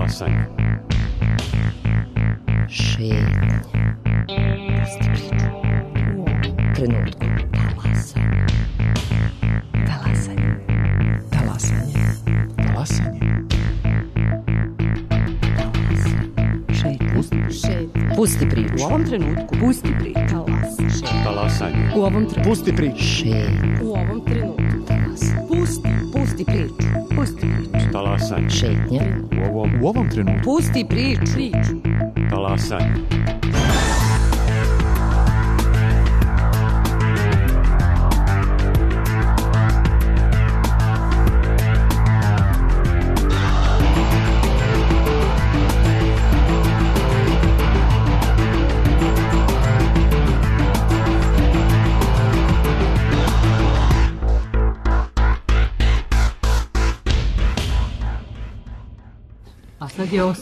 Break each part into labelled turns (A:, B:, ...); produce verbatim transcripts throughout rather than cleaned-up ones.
A: Talasanje.
B: Šetnja. Pusti priču. U trenutku. Talasanje. Talasanje.
C: Talasanje. Talasanje.
B: Šetnja.
C: Pusti,
B: Šetnja. Pusti priču.
C: u ovom trenutku. Pusti priču.
B: Talasanje.
A: Talasanje.
C: U ovom trenutku. Pusti priču.
B: Šetnja.
C: U ovom trenutku.
B: Talasanje.
C: Pusti. Pusti priču. Pusti priču.
A: Talasanje.
B: Šetnja.
A: U ovom,
C: U ovom trenutku.
B: Pusti priču. Priču.
A: talasanje.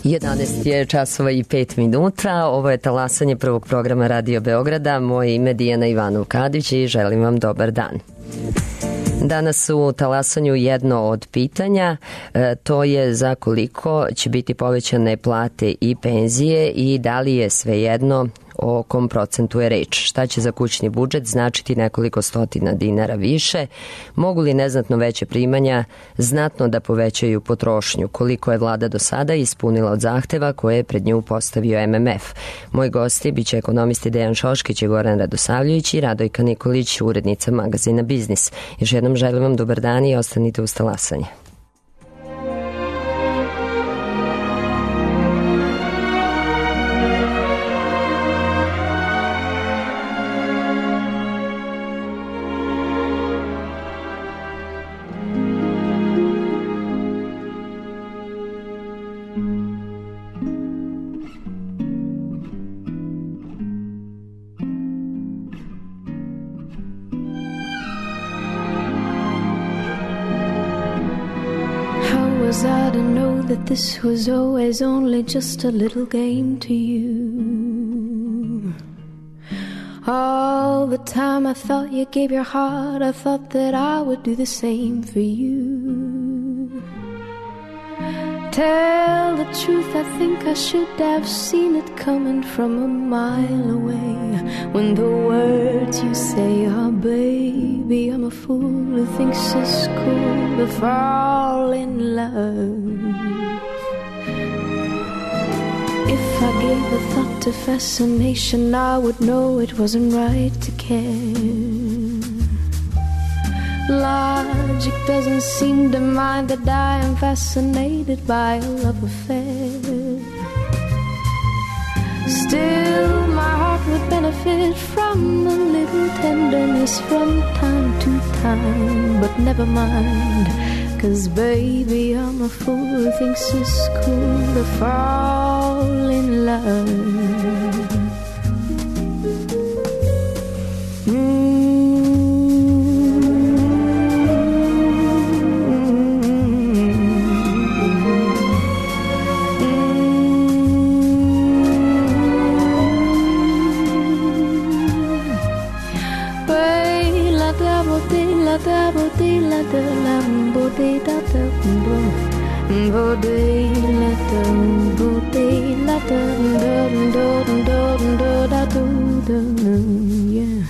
B: jedanaest je časova i pet minuta. Ovo je talasanje prvog programa Radio Beograda. Moje ime je Dijana Ivanov-Kadić i želim vam dobar dan. Danas u talasanju jedno od pitanja, e, to je za koliko će biti povećane plate i penzije i da li je svejedno o kom procentu je reč. Šta će za kućni budžet značiti nekoliko stotina dinara više? Mogu li neznatno veće primanja znatno da povećaju potrošnju? Koliko je vlada do sada ispunila od zahteva koje je pred nju postavio M M F? Moji gosti biće ekonomisti Dejan Šoškić i Goran Radosavljević i Radojka Nikolić, urednica magazina Biznis. Još jednom želim vam dobar dan i ostanite uz talasanje.
D: That this was always only just a little game to you. All the time I thought you gave your heart, I thought that I would do the same for you. Tell the truth, I think I should have seen it coming from a mile away. When the words you say are, baby, I'm a fool who thinks it's cool to fall in love. If I gave a thought to fascination, I would know it wasn't right to care. Logic doesn't seem to mind that I am fascinated by a love affair. Still, my heart would benefit from a little tenderness from time to time. But never mind, 'cause baby, I'm a fool who thinks it's cool to fall in love. Mm. Da bo de la da la bo de da da bo bo de la da bo de la da da da da da da da yeah.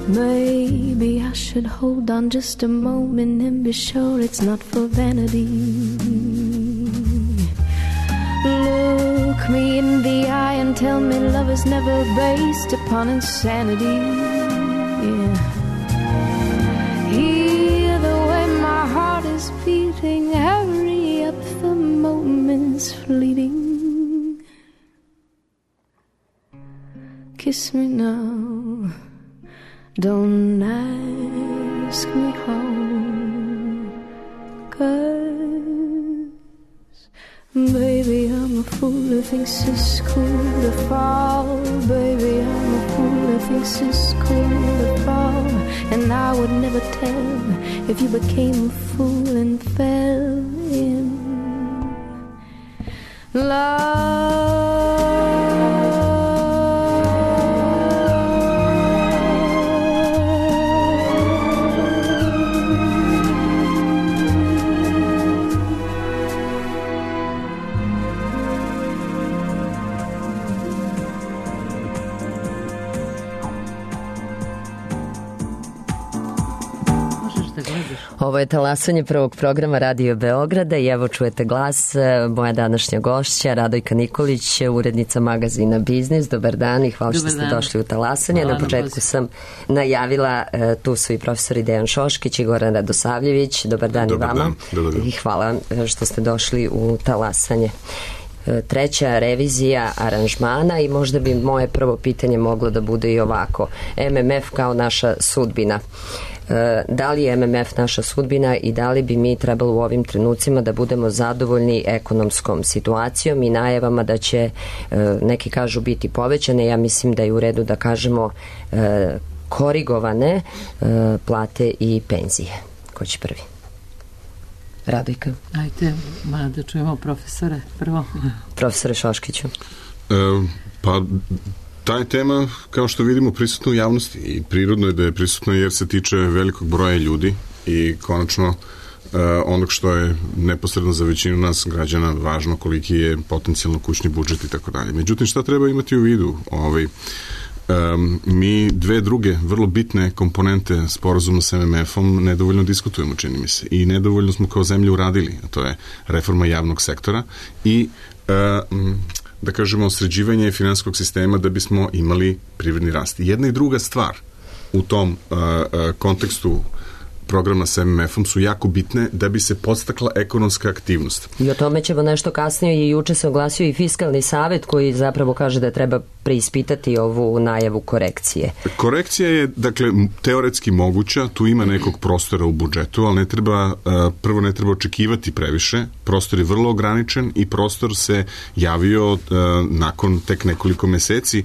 D: Maybe I should hold on just a moment and be sure it's not for vanity. Look me in the eye and tell me love is never based upon insanity. Yeah. Hear the way my heart is beating, hurry up, the moment's fleeting. Kiss me now, don't ask me how, 'cause baby, I'm a fool who thinks it's cool to fall. Baby, I'm a fool who thinks it's cool to fall. And I would never tell if you became a fool and fell in love.
B: Ovo je talasanje prvog programa Radio Beograda i evo čujete glas moja današnja gošća Radojka Nikolić, urednica magazina Biznis. Dobar dan i hvala što ste došli u talasanje. Na početku sam najavila, tu su i profesori Dejan Šoškić i Goran Radosavljević. Dobar dan. Dobar i vama. Dan. Dobar dan. I hvala što ste došli u talasanje. Treća revizija aranžmana i možda bi moje prvo pitanje moglo da bude i ovako. M M F kao naša sudbina. Da li je M M F naša sudbina i da li bi mi trebalo u ovim trenucima da budemo zadovoljni ekonomskom situacijom i najavama da će, neki kažu, biti povećane, ja mislim da je u redu da kažemo korigovane plate i penzije. Ko će prvi? Radojka.
A: Ajde, ma da čujemo profesore prvo.
B: Profesore Šoškiću.
E: E, pa ta je tema, kao što vidimo, prisutna u javnosti i prirodno je da je prisutna jer se tiče velikog broja ljudi i konačno e, onog što je neposredno za većinu nas građana važno, koliki je potencijalno kućni budžet i tako dalje. Međutim, šta treba imati u vidu? Ovaj, Um, mi dve druge vrlo bitne komponente sporazuma sa M M F-om nedovoljno diskutujemo, čini mi se, i nedovoljno smo kao zemlja uradili, a to je reforma javnog sektora i uh, da kažemo sređivanje finansijskog sistema da bismo imali privredni rast. Jedna i druga stvar u tom uh, uh, kontekstu programa sa M M F-om su jako bitne da bi se podstakla ekonomska aktivnost.
B: I o tome ćemo nešto kasnije i juče se oglasio i Fiskalni savet koji zapravo kaže da treba preispitati ovu najavu korekcije.
E: Korekcija je, dakle, teoretski moguća, tu ima nekog prostora u budžetu, ali ne treba, prvo ne treba očekivati previše, prostor je vrlo ograničen i prostor se javio nakon tek nekoliko meseci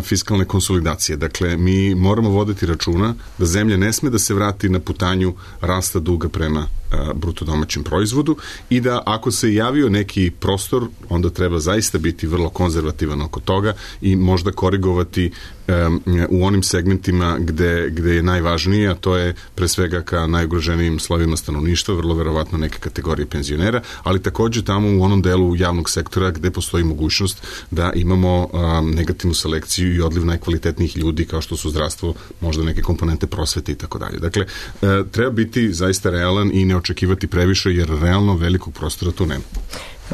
E: fiskalne konsolidacije. Dakle, mi moramo voditi računa da zemlja ne sme da se vrati na putanju rasta duga prema bruto domaćem proizvodu i da ako se javio neki prostor, onda treba zaista biti vrlo konzervativan oko toga i možda korigovati um, u onim segmentima gde, gde je najvažnije, a to je pre svega ka najugroženijim slovima stanovništva, vrlo verovatno neke kategorije penzionera, ali takođe tamo u onom delu javnog sektora gde postoji mogućnost da imamo um, negativnu selekciju i odliv najkvalitetnijih ljudi kao što su zdravstvo, možda neke komponente prosvete i tako dalje. Dakle, uh, treba biti zaista realan i ne očekivati previše, jer realno velikog prostora tu nema.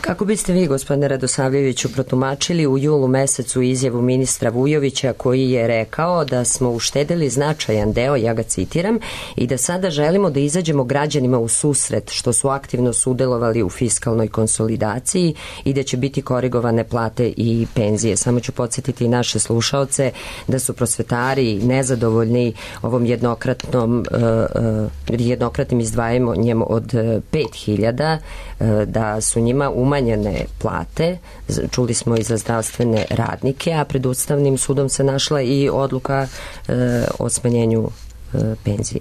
B: Kako biste vi, gospodine Radosavljeviću, protumačili u julu mesecu izjavu ministra Vujovića koji je rekao da smo uštedeli značajan deo, ja ga citiram, i da sada želimo da izađemo građanima u susret što su aktivno sudelovali u fiskalnoj konsolidaciji i da će biti korigovane plate i penzije. Samo ću podsjetiti i naše slušaoce da su prosvetari nezadovoljni ovom jednokratnom uh, uh, jednokratnim izdvajanjem od pet hiljada, uh, da su njima umanjene plate, čuli smo i za zdravstvene radnike, a pred Ustavnim sudom se našla i odluka e, o smanjenju e, penzije.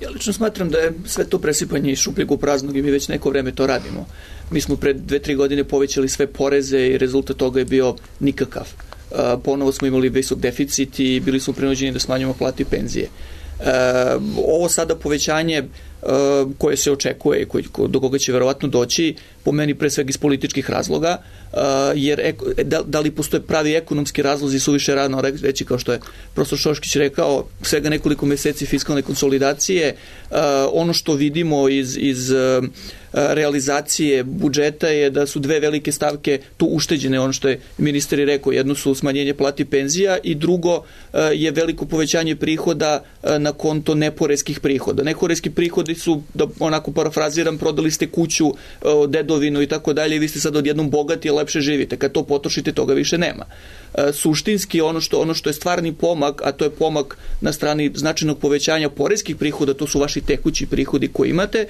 F: Ja lično smatram da je sve to presipanje iz šupljeg u praznog i mi već neko vreme to radimo. Mi smo pred dve, tri godine povećali sve poreze i rezultat toga je bio nikakav. E, ponovo smo imali visok deficit i bili smo prinuđeni da smanjujemo plate i penzije. E, ovo sada povećanje Uh, koje se očekuje i koji, do koga će verovatno doći, po meni pre svega iz političkih razloga, uh, jer eko, da, da li postoje pravi ekonomski razlozi, suviše rano reći, kao što je profesor Šoškić rekao, svega nekoliko meseci fiskalne konsolidacije, uh, ono što vidimo iz, iz uh, realizacije budžeta je da su dve velike stavke tu ušteđene, ono što je ministar i rekao, jedno su smanjenje plati penzija i drugo uh, je veliko povećanje prihoda uh, na konto neporeskih prihoda. Neporeski prihodi su, da onako parafraziram, prodali ste kuću, dedovinu i tako dalje i vi ste sad odjednom bogati i lepše živite. Kad to potrošite, toga više nema. Suštinski ono što, ono što je stvarni pomak, a to je pomak na strani značajnog povećanja poreskih prihoda, to su vaši tekući prihodi koji imate,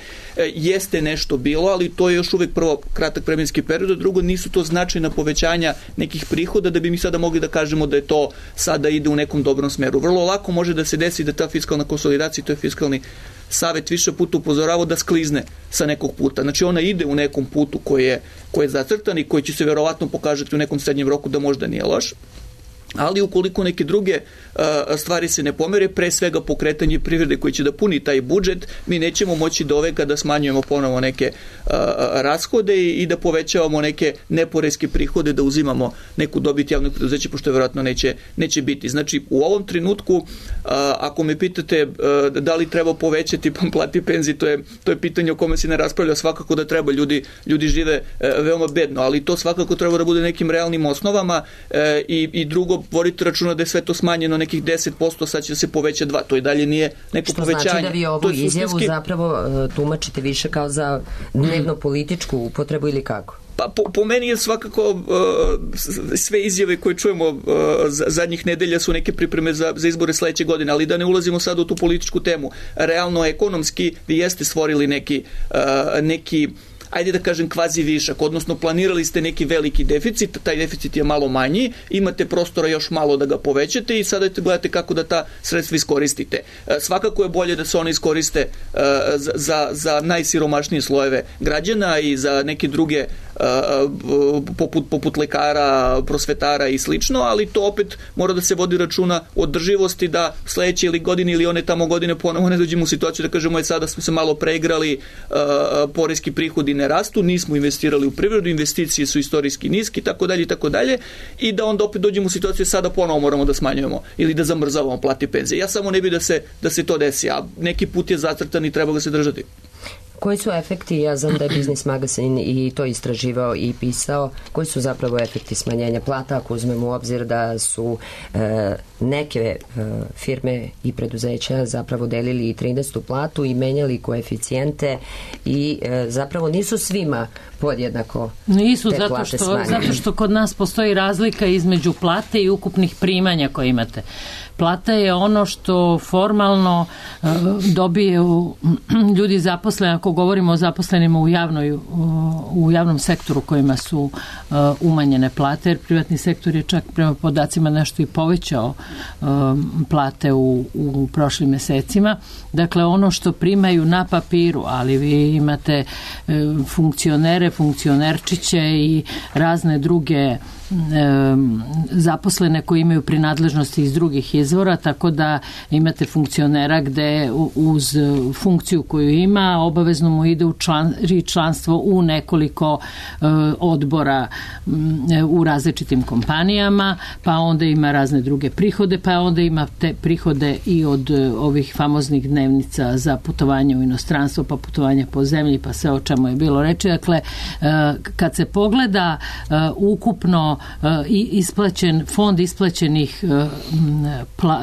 F: jeste nešto bilo, ali to je još uvek prvo kratak vremenski period, a drugo nisu to značajna povećanja nekih prihoda da bi mi sada mogli da kažemo da je to sada ide u nekom dobrom smeru. Vrlo lako može da se desi da ta fiskalna konsolidacija, to je fiskalni savet više puta upozoravao da sklizne sa nekog puta. Znači ona ide u nekom putu koji je, koji je zacrtan i koji će se verovatno pokažati u nekom srednjem roku da možda nije loš. ali ukoliko neke druge uh, stvari se ne pomere, pre svega pokretanje privrede koji će da puni taj budžet, mi nećemo moći do ove kada smanjujemo ponovo neke uh, rashode i, i da povećavamo neke neporeske prihode, da uzimamo neku dobit javnog preduzeća, pošto je vjerojatno neće, neće biti. Znači, u ovom trenutku, uh, ako me pitate uh, da li treba povećati plati penzije, to je, to je pitanje o kome se ne raspravlja, svakako da treba, ljudi, ljudi žive uh, veoma bedno, ali to svakako treba da bude nekim realnim osnovama uh, i, i drugo, vodite računa da je sve to smanjeno nekih deset posto, sad će se poveća dva, to i dalje nije neko
B: što
F: povećanje.
B: Što znači da vi ovu
F: suštinski...
B: izjavu zapravo uh, tumačite više kao za dnevno političku upotrebu ili kako?
F: Pa po, po meni je svakako uh, sve izjave koje čujemo uh, zadnjih nedelja su neke pripreme za, za izbore sledeće godine, ali da ne ulazimo sad u tu političku temu. Realno, ekonomski, vi jeste stvorili neki, uh, neki ajde da kažem kvazi višak, odnosno planirali ste neki veliki deficit, taj deficit je malo manji, imate prostora još malo da ga povećate i sada gledate kako da ta sredstva iskoristite. Svakako je bolje da se one iskoriste za, za, za najsiromašnije slojeve građana i za neke druge poput, poput lekara, prosvetara i slično, ali to opet mora da se vodi računa o održivosti, da sledeće ili godine ili one tamo godine ponovo ne dođemo u situaciju da kažemo je sada smo se malo preigrali, poreski prihodi ne rastu, nismo investirali u privredu, investicije su istorijski niski, tako dalje i tako dalje, i da onda opet dođemo u situaciju sada ponovo moramo da smanjujemo ili da zamrzavamo plate i penzije. Ja samo ne bi da se, da se to desi, a neki put je zacrtan i treba ga se držati.
B: Koji su efekti, ja znam da je Biznis magazin i to istraživao i pisao, koji su zapravo efekti smanjenja plata, ako uzmemo u obzir da su e, neke e, firme i preduzeća zapravo delili i trinaestu platu i menjali koeficijente i e, zapravo nisu svima podjednako
A: nisu,
B: te
A: zato
B: plate
A: što,
B: smanjene.
A: zato što kod nas postoji razlika između plate i ukupnih primanja koje imate. Plata je ono što formalno uh, dobije u, ljudi zaposleni, ako govorimo o zaposlenima u, javnoj, u, u javnom sektoru kojima su uh, umanjene plate, jer privatni sektor je čak prema podacima nešto i povećao uh, plate u, u prošlim mesecima. Dakle, ono što primaju na papiru, ali vi imate uh, funkcionere, funkcionerčiće i razne druge zaposlene koji imaju prinadležnosti iz drugih izvora, tako da imate funkcionera gde uz funkciju koju ima obavezno mu ide u član, članstvo u nekoliko uh, odbora um, u različitim kompanijama, pa onda ima razne druge prihode, pa onda ima te prihode i od uh, ovih famoznih dnevnica za putovanje u inostranstvo, pa putovanje po zemlji, pa sve o čemu je bilo reči. Dakle, uh, kad se pogleda uh, ukupno i isplaćen, fond isplaćenih pla,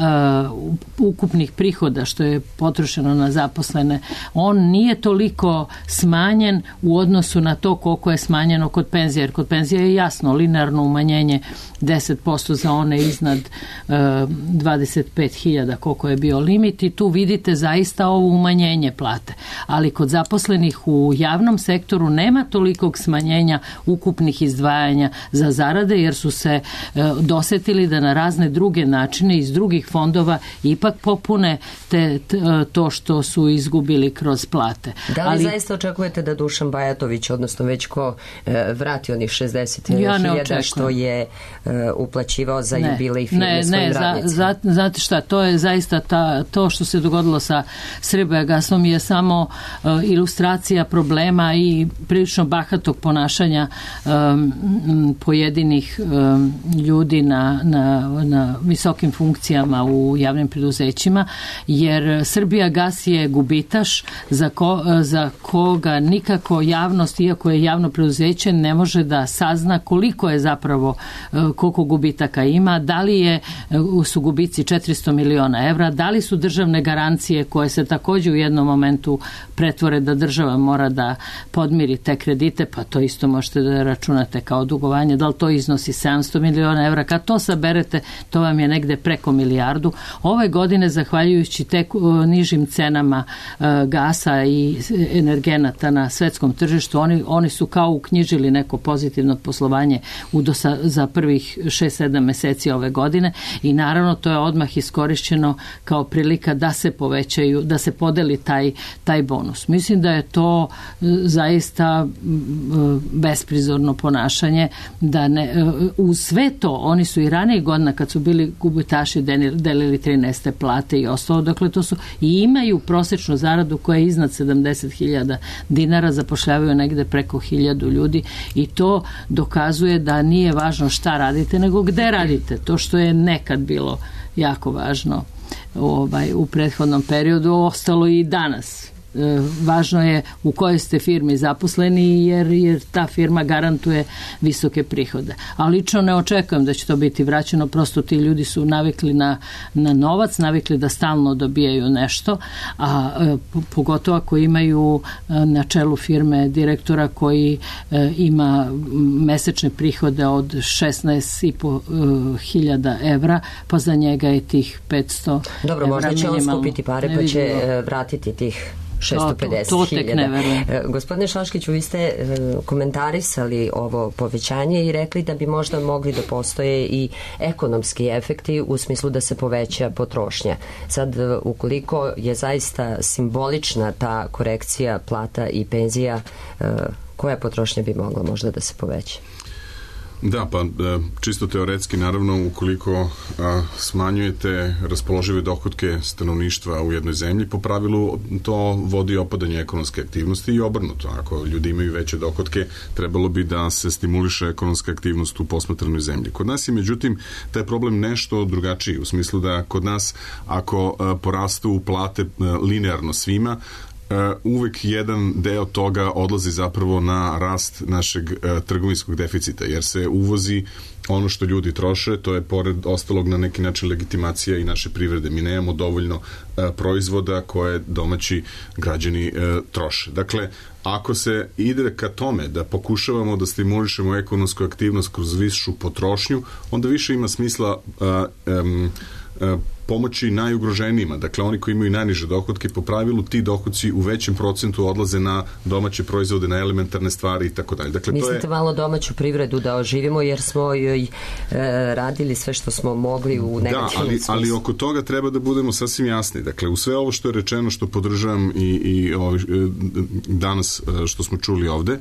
A: uh, ukupnih prihoda što je potrošeno na zaposlene, on nije toliko smanjen u odnosu na to koliko je smanjeno kod penzija, jer kod penzija je jasno linearno umanjenje deset posto za one iznad uh, dvadeset pet hiljada koliko je bio limit i tu vidite zaista ovo umanjenje plate. Ali kod zaposlenih u javnom sektoru nema tolikog smanjenja ukupnih izdvajanja za zarade, jer su se uh, dosetili da na razne druge načine iz drugih fondova ipak popune te, t, to što su izgubili kroz plate.
B: Da li
A: Ali,
B: zaista očekujete da Dušan Bajatović, odnosno već ko e, vrati onih šezdeset hiljada što je e, uplaćivao za
A: ne,
B: jubilej firme
A: ne,
B: svojim
A: ne,
B: radnicima?
A: Za, za, znate šta, to je zaista ta, to što se dogodilo sa Srbijagasom je samo uh, ilustracija problema i prilično bahatog ponašanja um, pojedinih um, ljudi na, na, na visokim funkcijama u javnim preduzećima, jer Srbijagas je gubitaš za, ko, za koga nikako javnost, iako je javno preduzeće, ne može da sazna koliko je zapravo, koliko gubitaka ima, da li je, su gubici četiristo miliona evra, da li su državne garancije koje se također u jednom momentu pretvore da država mora da podmiri te kredite, pa to isto možete da računate kao dugovanje, da li to iznosi sedamsto miliona evra, kad to saberete, to vam je negde preko milijardu. Ove godine, zahvaljujući tek nižim cenama uh, gasa i energenata na svetskom tržištu, oni, oni su kao uknjižili neko pozitivno poslovanje u dosa, za prvih šest sedam meseci ove godine i naravno to je odmah iskorišćeno kao prilika da se povećaju, da se podeli taj, taj bonus. Mislim da je to zaista besprizorno ponašanje, da ne, tome, uz sve to, oni su i ranije godina kad su bili gubitaši delili trinaeste plate i ostalo, dakle to su i imaju prosečnu zaradu koja je iznad sedamdeset hiljada dinara, zapošljavaju negde preko hiljadu ljudi i to dokazuje da nije važno šta radite, nego gde radite. To što je nekad bilo jako važno ovaj, u prethodnom periodu, ostalo i danas. Važno je u kojoj ste firmi zaposleni jer, jer ta firma garantuje visoke prihode. A lično ne očekujem da će to biti vraćeno, prosto ti ljudi su navikli na, na novac, navikli da stalno dobijaju nešto, a pogotovo ako imaju na čelu firme direktora koji ima mesečne prihode od šesnaest i po hiljada evra, pa za njega je tih petsto
B: Dobro,
A: evra
B: možda će on
A: minimalno.
B: skupiti pare pa će vratiti tih šesto pedeset hiljada. Gospodine Šoškiću, vi ste komentarisali ovo povećanje i rekli da bi možda mogli da postoje i ekonomski efekti u smislu da se poveća potrošnja. Sad, ukoliko je zaista simbolična ta korekcija plata i penzija, koja potrošnja bi mogla možda da se poveća?
E: Da, pa čisto teoretski, naravno, ukoliko a, smanjujete raspoložive dohotke stanovništva u jednoj zemlji, po pravilu to vodi opadanje ekonomske aktivnosti i obrnuto. Ako ljudi imaju veće dohotke, trebalo bi da se stimuliše ekonomska aktivnost u posmatranoj zemlji. Kod nas je, međutim, taj problem nešto drugačiji, u smislu da kod nas, ako a, porastu plate a, linearno svima, Uh, uvek jedan deo toga odlazi zapravo na rast našeg uh, trgovinskog deficita, jer se uvozi ono što ljudi troše, to je pored ostalog na neki način legitimacija i naše privrede. Mi nemamo dovoljno uh, proizvoda koje domaći građani uh, troše. Dakle, ako se ide ka tome da pokušavamo da stimulišemo ekonomsku aktivnost kroz višu potrošnju, onda više ima smisla uh, um, uh, pomoći najugroženijima, dakle oni koji imaju najniže dohotke, po pravilu ti dohodci u većem procentu odlaze na domaće proizvode, na elementarne stvari i tako dalje. Dakle,
B: mislite
E: to je...
B: malo domaću privredu da oživimo jer smo joj e, radili sve što smo mogli u negativnom
E: da, ali,
B: smislu.
E: ali oko toga treba da budemo sasvim jasni. Dakle, u sve ovo što je rečeno, što podržavam i, i ovaj, danas što smo čuli ovde,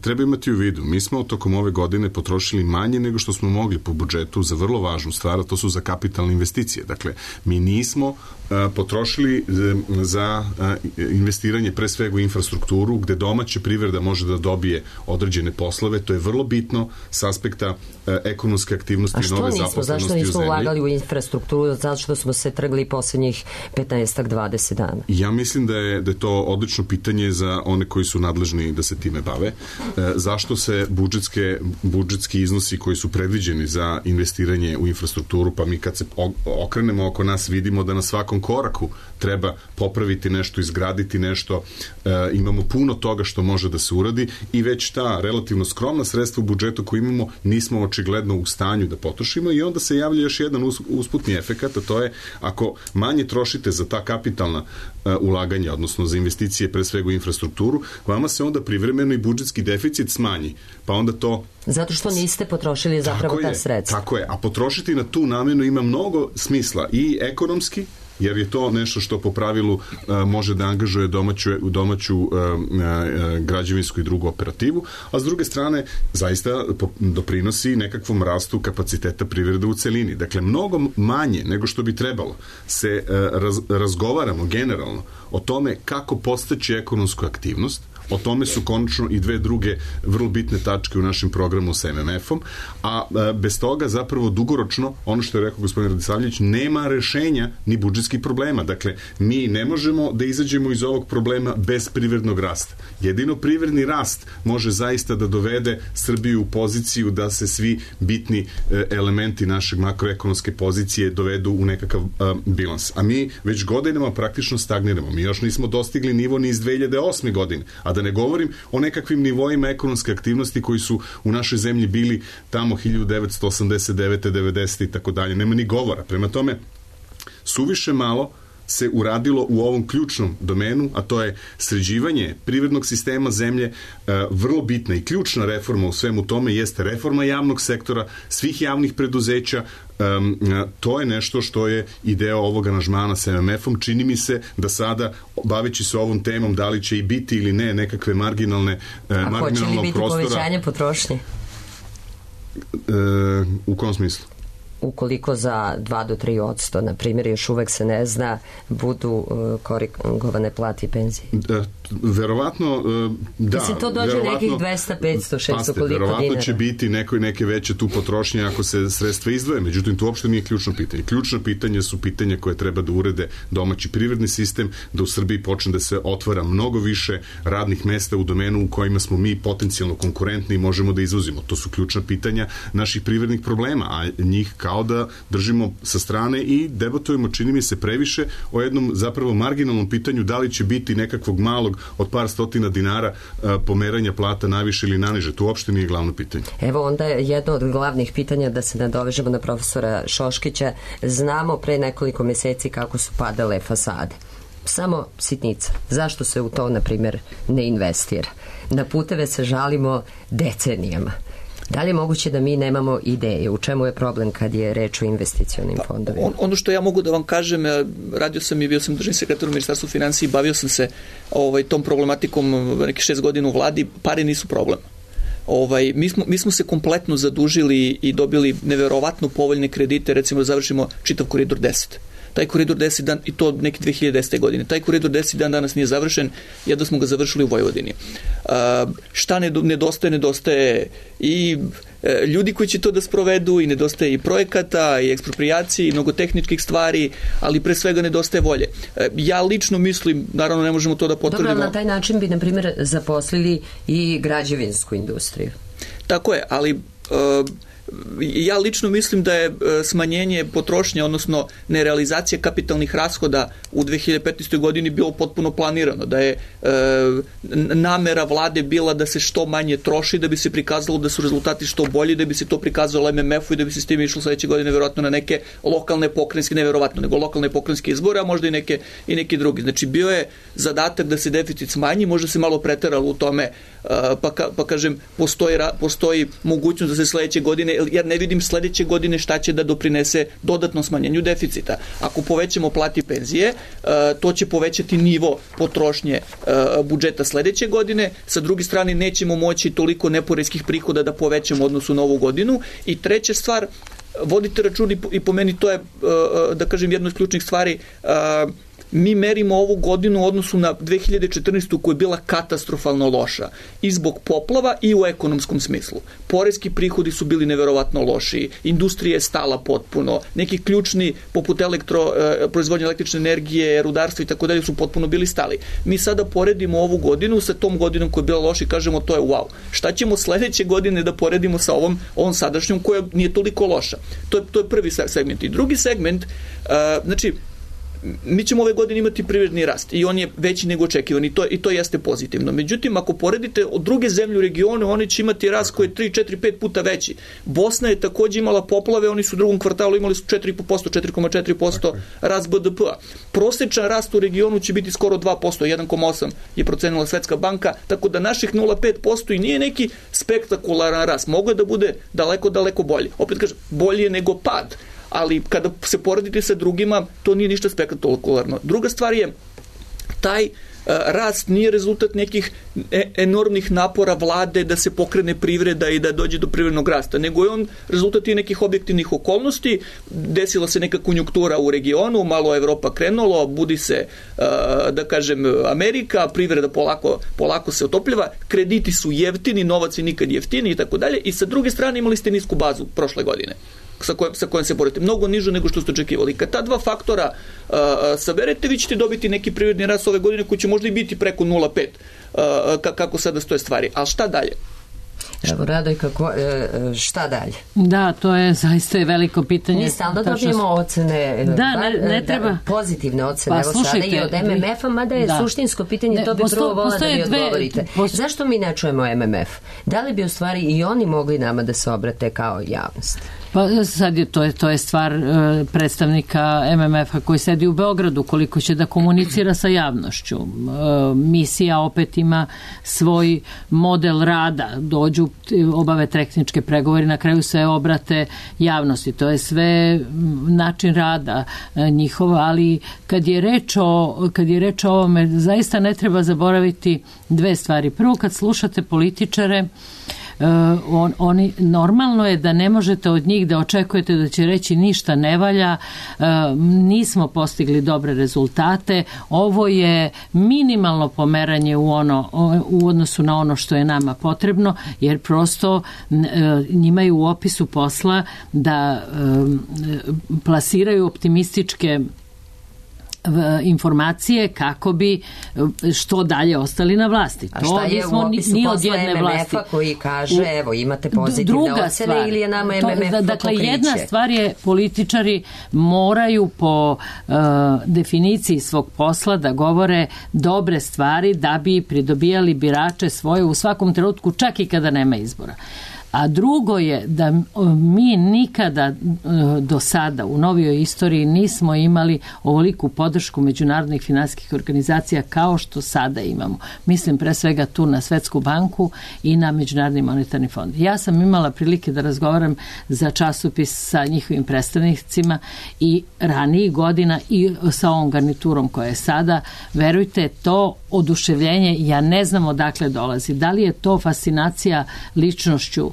E: treba imati u vidu. Mi smo tokom ove godine potrošili manje nego što smo mogli po budžetu za vrlo važnu stvar, a to su za kapitalne investicije. Dakle, mi nismo a, potrošili za a, investiranje pre svega u infrastrukturu, gde domaća privreda može da dobije određene poslove. To je vrlo bitno s aspekta a, ekonomske aktivnosti i nove zaposlenosti u zemlji.
B: Zašto nismo ulagali u infrastrukturu? Zato što smo se trgli poslednjih petnaest do dvadeset dana.
E: Ja mislim da je, da je to odlično pitanje za one koji su nadležni da se time bave. E, zašto se budžetske, budžetski iznosi koji su predviđeni za investiranje u infrastrukturu, pa mi kad se okrenemo oko nas vidimo da na svakom koraku treba popraviti nešto, izgraditi nešto, e, imamo puno toga što može da se uradi i već ta relativno skromna sredstva u budžetu koju imamo nismo očigledno u stanju da potrošimo i onda se javlja još jedan usputni efekat, a to je ako manje trošite za ta kapitalna e, ulaganja, odnosno za investicije pre svega u infrastrukturu, vama se onda privremeno i budžetski deficit smanji, pa onda to...
B: Zato što niste potrošili zapravo ta sredstva.
E: Tako je, a potrošiti na tu namenu ima mnogo smisla i ekonomski, jer je to nešto što po pravilu uh, može da angažuje domaću, domaću uh, uh, građevinsku i drugu operativu, a s druge strane zaista doprinosi nekakvom rastu kapaciteta privrede u celini. Dakle, mnogo manje nego što bi trebalo se uh, raz, razgovaramo generalno o tome kako postaći ekonomsku aktivnost. O tome su konačno i dve druge vrlo bitne tačke u našem programu sa em em efom, a bez toga zapravo dugoročno, ono što je rekao gospodin Radisavljević, nema rešenja ni budžetskih problema. Dakle, mi ne možemo da izađemo iz ovog problema bez privrednog rasta. Jedino privredni rast može zaista da dovede Srbiju u poziciju da se svi bitni elementi našeg makroekonomske pozicije dovedu u nekakav a, bilans. A mi već godinama praktično stagniramo. Mi još nismo dostigli nivo ni iz dve hiljade osme godine, a da ne govorim o nekakvim nivoima ekonomske aktivnosti koji su u našoj zemlji bili tamo hiljadu devetsto osamdeset devete. devedesete i tako dalje. Nema ni govora. Prema tome, suviše malo se uradilo u ovom ključnom domenu, a to je sređivanje privrednog sistema zemlje. Vrlo bitna i ključna reforma u svemu tome jeste reforma javnog sektora, svih javnih preduzeća. Um, to je nešto što je i deo ovog aranžmana sa em em efom. Čini mi se da sada, baveći se ovom temom, da li će i biti ili ne nekakve marginalne,
B: a
E: marginalnog prostora.
B: A hoće li biti povećanje potrošnje?
E: E, u kom smislu?
B: Ukoliko za dva do tri odsto, na primjer, još uvek se ne zna, budu uh, korigovane plate i penzije?
E: Da, verovatno, uh, da.
B: Mislim, to dođe nekih dvesta, petsto, šesto, koliko
E: verovatno
B: dinara?
E: Će biti neko, neke veće tu potrošnje ako se sredstva izdvoje, međutim, to uopšte nije ključno pitanje. Ključno pitanje su pitanja koje treba da urede domaći privredni sistem, da u Srbiji počne da se otvara mnogo više radnih mesta u domenu u kojima smo mi potencijalno konkurentni i možemo da izvozimo. To su ključna pitanja naših privrednih problema, a njih kao da držimo sa strane i debatujemo, čini mi se, previše o jednom zapravo marginalnom pitanju da li će biti nekakvog malog od par stotina dinara a, pomeranja plata naviše ili naniže. To uopšte nije glavno pitanje.
B: Evo onda je jedno od glavnih pitanja, da se nadovežemo na profesora Šoškića. Znamo pre nekoliko meseci kako su padale fasade. Samo sitnica. Zašto se u to, na primjer, ne investira? Na puteve se žalimo decenijama. Da li je moguće da mi nemamo ideje? U čemu je problem kad je reč o investicionim pa, fondovima?
F: On, ono što ja mogu da vam kažem, radio sam i bio sam državni sekretar u Ministarstvu finansija i bavio sam se ovaj, tom problematikom nekih šest godina u vladi. Pare nisu problem. Ovaj, mi, smo, mi smo se kompletno zadužili i dobili neverovatno povoljne kredite, recimo da završimo čitav koridor deset. Taj koridor deset dan, i to neke dve hiljade desete. godine. Taj koridor deset dan danas nije završen, jedno smo ga završili u Vojvodini. Uh, šta nedostaje? Nedostaje i e, ljudi koji će to da sprovedu, i nedostaje i projekata, i ekspropriacije, i mnogo tehničkih stvari, ali pre svega nedostaje volje. E, ja lično mislim, naravno ne možemo to da potvrdimo.
B: Dobro, na taj način bi, na primjer, zaposlili i građevinsku industriju.
F: Tako je, ali... Uh, ja lično mislim da je smanjenje potrošnje, odnosno nerealizacija kapitalnih rashoda u dve hiljade petnaestoj. godini bilo potpuno planirano, da je e, namera vlade bila da se što manje troši, da bi se prikazalo da su rezultati što bolji, da bi se to prikazalo em em efu i da bi se s tim išlo sledeće godine verovatno na neke lokalne pokrajinske, ne verovatno, nego lokalne pokrajinske izbore, a možda i neke, i neki drugi. Znači bio je zadatak da se deficit smanji, možda se malo preteralo u tome, pa, ka, pa kažem, postoji, postoji mogućnost da se sledeće godine, jer ne vidim sledeće godine šta će da doprinese dodatnom smanjenju deficita. Ako povećamo plati i penzije, to će povećati nivo potrošnje budžeta sledeće godine. Sa druge strane, nećemo moći toliko neporeskih prihoda da povećamo odnosu na ovu godinu. I treća stvar, vodite račun i po meni to je, da kažem, jedna od ključnih stvari. Mi merimo ovu godinu u odnosu na dve hiljade četrnaestu. koja je bila katastrofalno loša i zbog poplava i u ekonomskom smislu. Poreski prihodi su bili neverovatno loši, industrija je stala potpuno, neki ključni poput elektro, proizvodnje električne energije, rudarstva i tako dalje su potpuno bili stali. Mi sada poredimo ovu godinu sa tom godinom koja je bila loša i kažemo to je wow. Šta ćemo sledeće godine da poredimo sa ovom, ovom sadašnjom koja nije toliko loša? To je, to je prvi segment. I drugi segment, uh, znači, mi ćemo ove godine imati privredni rast i on je veći nego očekivan i to, i to jeste pozitivno. Međutim, ako poredite od druge zemlje u regionu, oni će imati rast koji je tri, četiri, pet puta veći. Bosna je takođe imala poplave, oni su u drugom kvartalu imali su četiri zarez pet posto, četiri zarez četiri posto rast be de pe-a. Prosečan rast u regionu će biti skoro dva posto, jedan zarez osam je procenila Svetska banka, tako da naših nula zarez pet posto i nije neki spektakularan rast. Mogu da bude daleko, daleko bolji. Opet kažem, bolje je nego pad. Ali kada se poredite sa drugima, to nije ništa spektakularno. Druga stvar je, taj uh, rast nije rezultat nekih e- enormnih napora vlade da se pokrene privreda i da dođe do privrednog rasta, nego je on rezultat i nekih objektivnih okolnosti. Desila se neka konjunktura u regionu, malo Evropa krenulo, budi se, uh, da kažem, Amerika, privreda polako, polako se otopljava, krediti su jeftini, novac je nikad jeftini i tako dalje. I sa druge strane imali ste nisku bazu prošle godine. Sa kojim, sa kojim se borite. Mnogo niže nego što ste očekivali. Kad ta dva faktora uh, saberete, vi ćete dobiti neki privredni rast ove godine koji će možda i biti preko nula zarez pet uh, kako sada stoje stvari. Ali šta dalje?
B: Evo, Radoj, kako, šta dalje?
A: Da, to je zaista veliko pitanje.
B: Mi stalno dobijemo ocene,
A: da, ne, ne treba.
B: Da, pozitivne ocene,
A: pa,
B: evo
A: slušajte,
B: sada i od em em efa, mada je da. suštinsko pitanje, ne, to bi prvo vola da mi odgovorite. Posto... Zašto mi ne čujemo em em ef? Da li bi u stvari i oni mogli nama da se obrate kao javnost?
A: Pa sad je to, je, to je stvar e, predstavnika em em efa koji sedi u Beogradu, koliko će da komunicira sa javnošću. E, misija opet ima svoj model rada, dođu, obave tehničke pregovore, na kraju se obrate javnosti. To je sve način rada e, njihova, ali kad je reč o, kad je reč o ovome, zaista ne treba zaboraviti dve stvari. Prvo, kad slušate političare, on, oni, normalno je da ne možete od njih da očekujete da će reći ništa ne valja, nismo postigli dobre rezultate, ovo je minimalno pomeranje u, ono, u odnosu na ono što je nama potrebno, jer prosto njima je u opisu posla da plasiraju optimističke informacije kako bi što dalje ostali na vlasti.
B: A šta je u opisu posla M M F-a koji kaže, evo, imate pozitivne ocene ili je nama M M F to
A: Dakle,
B: pokriće?
A: jedna stvar je, političari moraju po uh, definiciji svog posla da govore dobre stvari da bi pridobijali birače svoje u svakom trenutku, čak i kada nema izbora. A drugo je da mi nikada do sada u novijoj istoriji nismo imali ovoliku podršku međunarodnih finansijskih organizacija kao što sada imamo. Mislim pre svega tu na Svetsku banku i na Međunarodni monetarni fond. Ja sam imala prilike da razgovaram za časopis sa njihovim predstavnicima i ranijih godina i sa ovom garniturom koja je sada. Verujte, to oduševljenje, ja ne znam odakle dolazi. Da li je to fascinacija ličnošću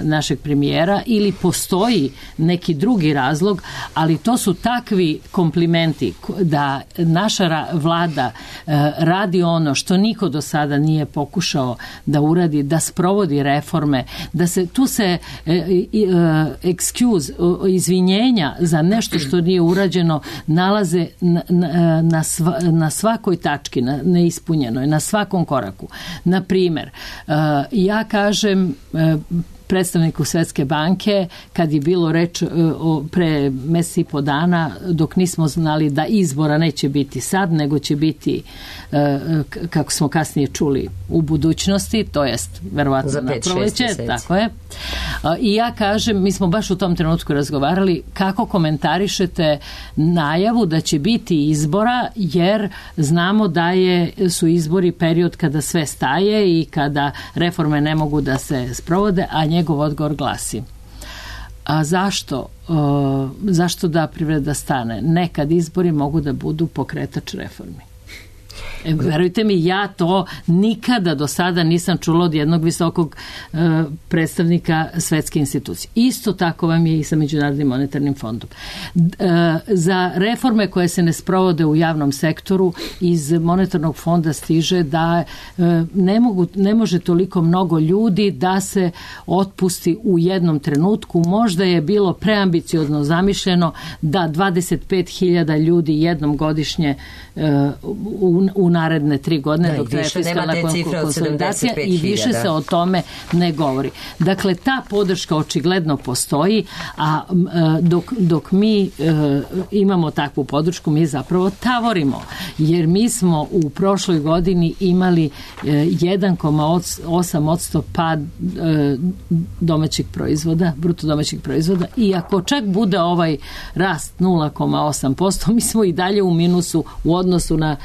A: našeg premijera ili postoji neki drugi razlog, ali to su takvi komplimenti da naša vlada radi ono što niko do sada nije pokušao da uradi, da sprovodi reforme, da se tu se excuse, izvinjenja za nešto što nije urađeno nalaze na, na, na, sva, na svakoj tački, na neispunjenoj, na svakom koraku. Na primer, ja kažem predstavniku Svetske banke, kad je bilo reč o, pre mesec i po dana, dok nismo znali da izbora neće biti sad, nego će biti, kako smo kasnije čuli, u budućnosti, to jest verovatno na proleće, tako je. I ja kažem, mi smo baš u tom trenutku razgovarali kako komentarišete najavu da će biti izbora, jer znamo da je, su izbori period kada sve staje i kada reforme ne mogu da se sprovode, a njegov odgovor glasi: a zašto, uh, zašto da privreda stane? Nekad izbori mogu da budu pokretač reformi. E, verujte mi, ja to nikada do sada nisam čula od jednog visokog e, predstavnika svetske institucije. Isto tako vam je i sa Međunarodnim monetarnim fondom. E, za reforme koje se ne sprovode u javnom sektoru iz monetarnog fonda stiže da e, ne, mogu, ne može toliko mnogo ljudi da se otpusti u jednom trenutku. Možda je bilo preambiciozno zamišljeno da dvadeset pet hiljada ljudi jednom godišnje e, u, u naredne tri godine, da, dok traje fiskalna konsolidacija, i više se o tome ne govori. Dakle, ta podrška očigledno postoji, a dok, dok mi imamo takvu podršku, mi zapravo tavorimo, jer mi smo u prošloj godini imali jedan zarez osam posto pad domaćeg proizvoda, bruto domaćeg proizvoda, i ako čak bude ovaj rast nula zarez osam posto, mi smo i dalje u minusu u odnosu na,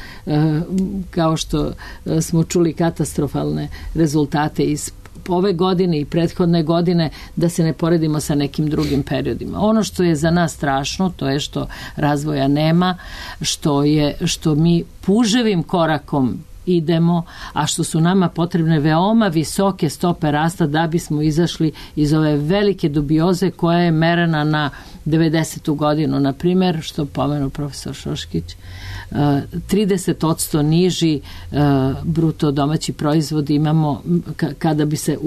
A: kao što smo čuli, katastrofalne rezultate iz ove godine i prethodne godine, da se ne poredimo sa nekim drugim periodima. Ono što je za nas strašno, to je što razvoja nema, što je, što mi puževim korakom idemo, a što su nama potrebne veoma visoke stope rasta da bismo izašli iz ove velike dubioze koja je merena na devedesetu godinu, na primjer, što pomenu profesor Šoškić, trideset posto niži bruto domaći proizvod imamo kada bi se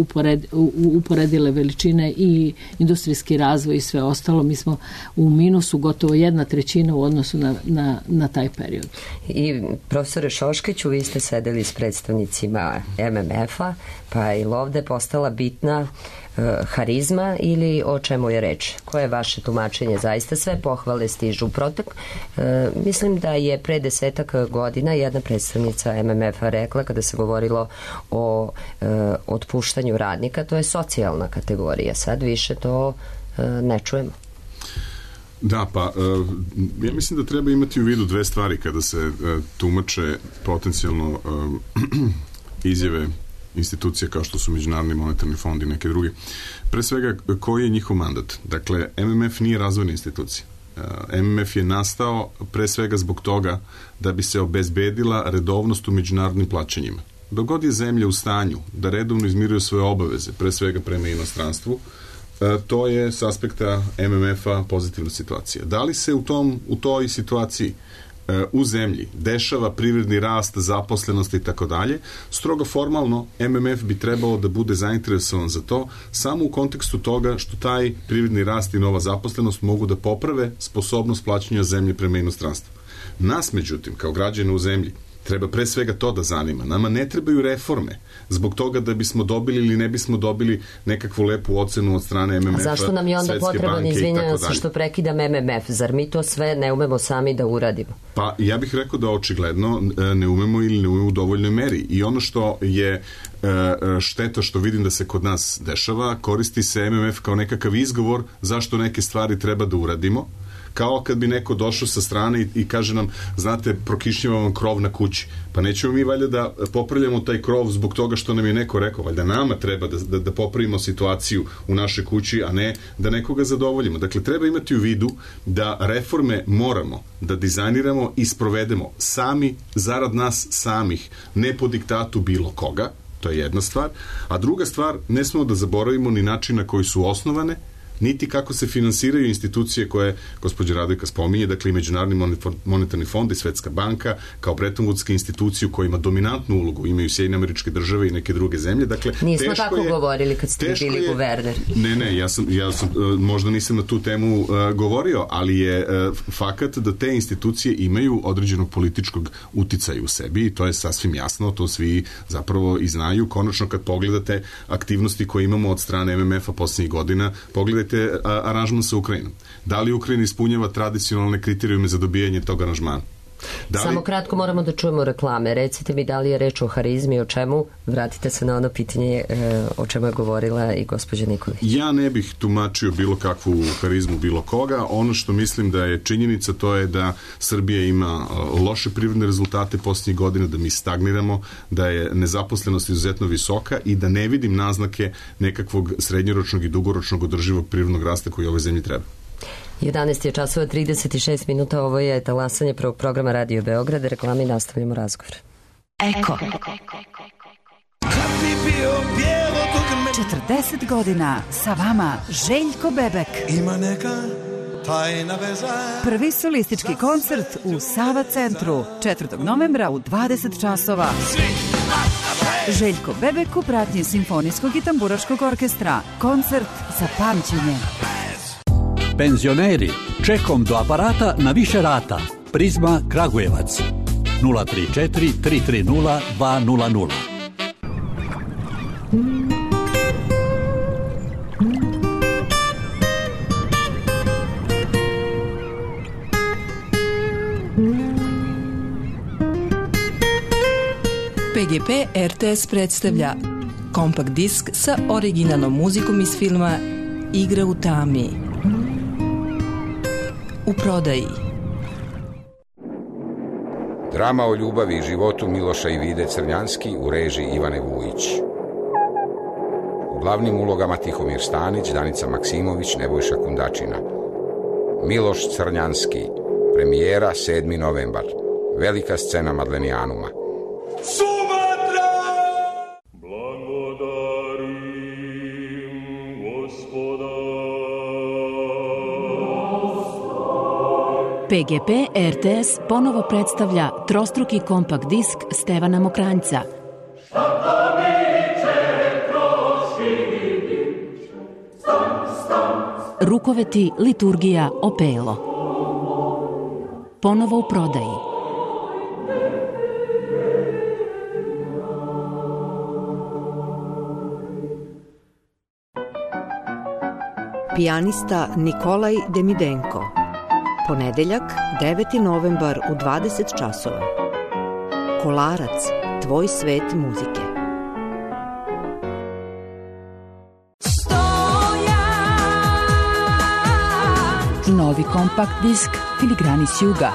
A: uporedile veličine i industrijski razvoj i sve ostalo. Mi smo u minusu gotovo jedna trećina u odnosu na, na, na taj period.
B: I profesore Šoškiću, vi ste sedeli s predstavnicima M M F-a, pa je ili ovde postala bitna harizma ili o čemu je reč? Koje je vaše tumačenje? Zaista sve pohvale stižu. Protek, e, mislim da je pre desetak godina jedna predstavnica M M F-a rekla, kada se govorilo o e, otpuštanju radnika, to je socijalna kategorija. Sad više to e, ne čujemo.
E: Da, pa ja mislim da treba imati u vidu dve stvari kada se tumače potencijalno izjave institucije kao što su Međunarodni monetarni fond i neke druge. Pre svega, koji je njihov mandat? Dakle, M M F nije razvojna institucija. M M F je nastao pre svega zbog toga da bi se obezbedila redovnost u međunarodnim plaćanjima. dok god je zemlja u stanju da redovno izmiruje svoje obaveze, pre svega prema inostranstvu, to je s aspekta M M F-a pozitivna situacija. Da li se u, tom, u toj situaciji u zemlji dešava privredni rast, zaposlenost i tako dalje, strogo formalno M M F bi trebalo da bude zainteresovan za to samo u kontekstu toga što taj privredni rast i nova zaposlenost mogu da poprave sposobnost plaćanja zemlje prema inostranstvu. Nas, međutim, kao građane u zemlji, treba pre svega to da zanima. Nama ne trebaju reforme zbog toga da bismo dobili ili ne bismo dobili nekakvu lepu ocenu od strane M M F-a,
B: Svetske banke i tako dalje. A zašto nam je onda potreban, izvinjam se što prekidam M M F? Zar mi to sve ne umemo sami da uradimo?
E: Pa ja bih rekao da očigledno ne umemo ili ne umemo u dovoljnoj meri. I ono što je šteta što vidim da se kod nas dešava, koristi se M M F kao nekakav izgovor zašto neke stvari treba da uradimo, kao kad bi neko došao sa strane i, i kaže nam, znate, prokišnjava vam krov na kući. Pa nećemo mi valjda da popravljamo taj krov zbog toga što nam je neko rekao. Valjda nama treba da, da, da popravimo situaciju u našoj kući, a ne da nekoga zadovoljimo. Dakle, treba imati u vidu da reforme moramo da dizajniramo i sprovedemo sami, zarad nas samih, ne po diktatu bilo koga. To je jedna stvar. A druga stvar, ne smemo da zaboravimo ni način na koji su osnovane, niti kako se finansiraju institucije koje gospođa Radojka spominje, dakle i Međunarodni monetarni fond i Svetska banka, kao Bretton Woodske institucije u kojima dominantnu ulogu imaju Sjedinjene Američke Države i neke druge zemlje. Dakle,
B: nismo tako je, govorili kad ste bili je, guverner. Ne, ne, ja sam, ja sam možda nisam na tu temu uh, govorio, ali je uh, fakat da te institucije imaju određenog političkog uticaja u sebi i to je sasvim jasno, to svi zapravo i znaju. Konačno kad pogledate aktivnosti koje imamo od strane M M F-a posljednjih godina, pogledajte aranžman sa Ukrajinom. Da li Ukrajina ispunjava tradicionalne kriterijume za dobijanje tog aranžmana? Da li... Samo kratko moramo da čujemo reklame. Recite mi da li je reč o harizmi, o čemu? Vratite se na ono pitanje e, o čemu je govorila i gospođa Nikolić.
E: Ja ne bih tumačio bilo kakvu harizmu bilo koga. Ono što mislim da je činjenica, to je da Srbija ima loše privredne rezultate posljednjih godina, da mi stagniramo, da je nezaposlenost izuzetno visoka i da ne vidim naznake nekakvog srednjoročnog i dugoročnog održivog privrednog rasta koji ovoj zemlji treba.
B: jedanaest je časova trideset šest minuta, ovo je talasanje prvog programa Radio Beograd, reklami nastavljamo razgovor.
G: Eko. četrdeset godina sa vama Željko Bebek. Ima neka tajna veza. Prvi solistički koncert u Sava centru četvrtog novembra u dvadeset časova. Željko Bebek u pratnji Simfonijskog i tamburaškog orkestra. Koncert za pamćenje.
H: Penzioneri, čekom do aparata na više rata. Prizma Kragujevac. nula tri četiri tri tri nula dva nula nula.
I: P G P R T S predstavlja kompakt disk sa originalnom muzikom iz filma Igra u tami. U prodaji.
J: Drama o ljubavi i životu Miloša i Vide Crnjanski u režiji Ivane Vujić. U glavnim ulogama Tihomir Stanić, Danica Maksimović, Nebojša Kundačina. Miloš Crnjanski. Premijera sedmi novembar. Velika scena Madlenijanuma.
K: Sumatra!
G: P G P R T S ponovo predstavlja trostruki kompakt disk Stevana Mokranjca. Rukoveti, liturgija, opelo. Ponovo u prodaji.
L: Pijanista Nikolaj Demidenko. Ponedeljak, deveti novembar u dvadeset časova. Kolarac, tvoj svet muzike.
G: Novi kompakt disk Filigrani s juga.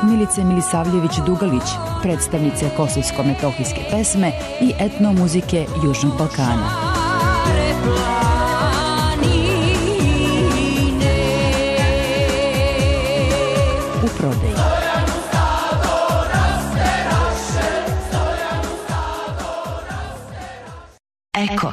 G: Milice Milisavljević-Dugalić, predstavnice kosovsko-metohijske pesme i etnomuzike Južnog Balkana. U prodaji. Eko.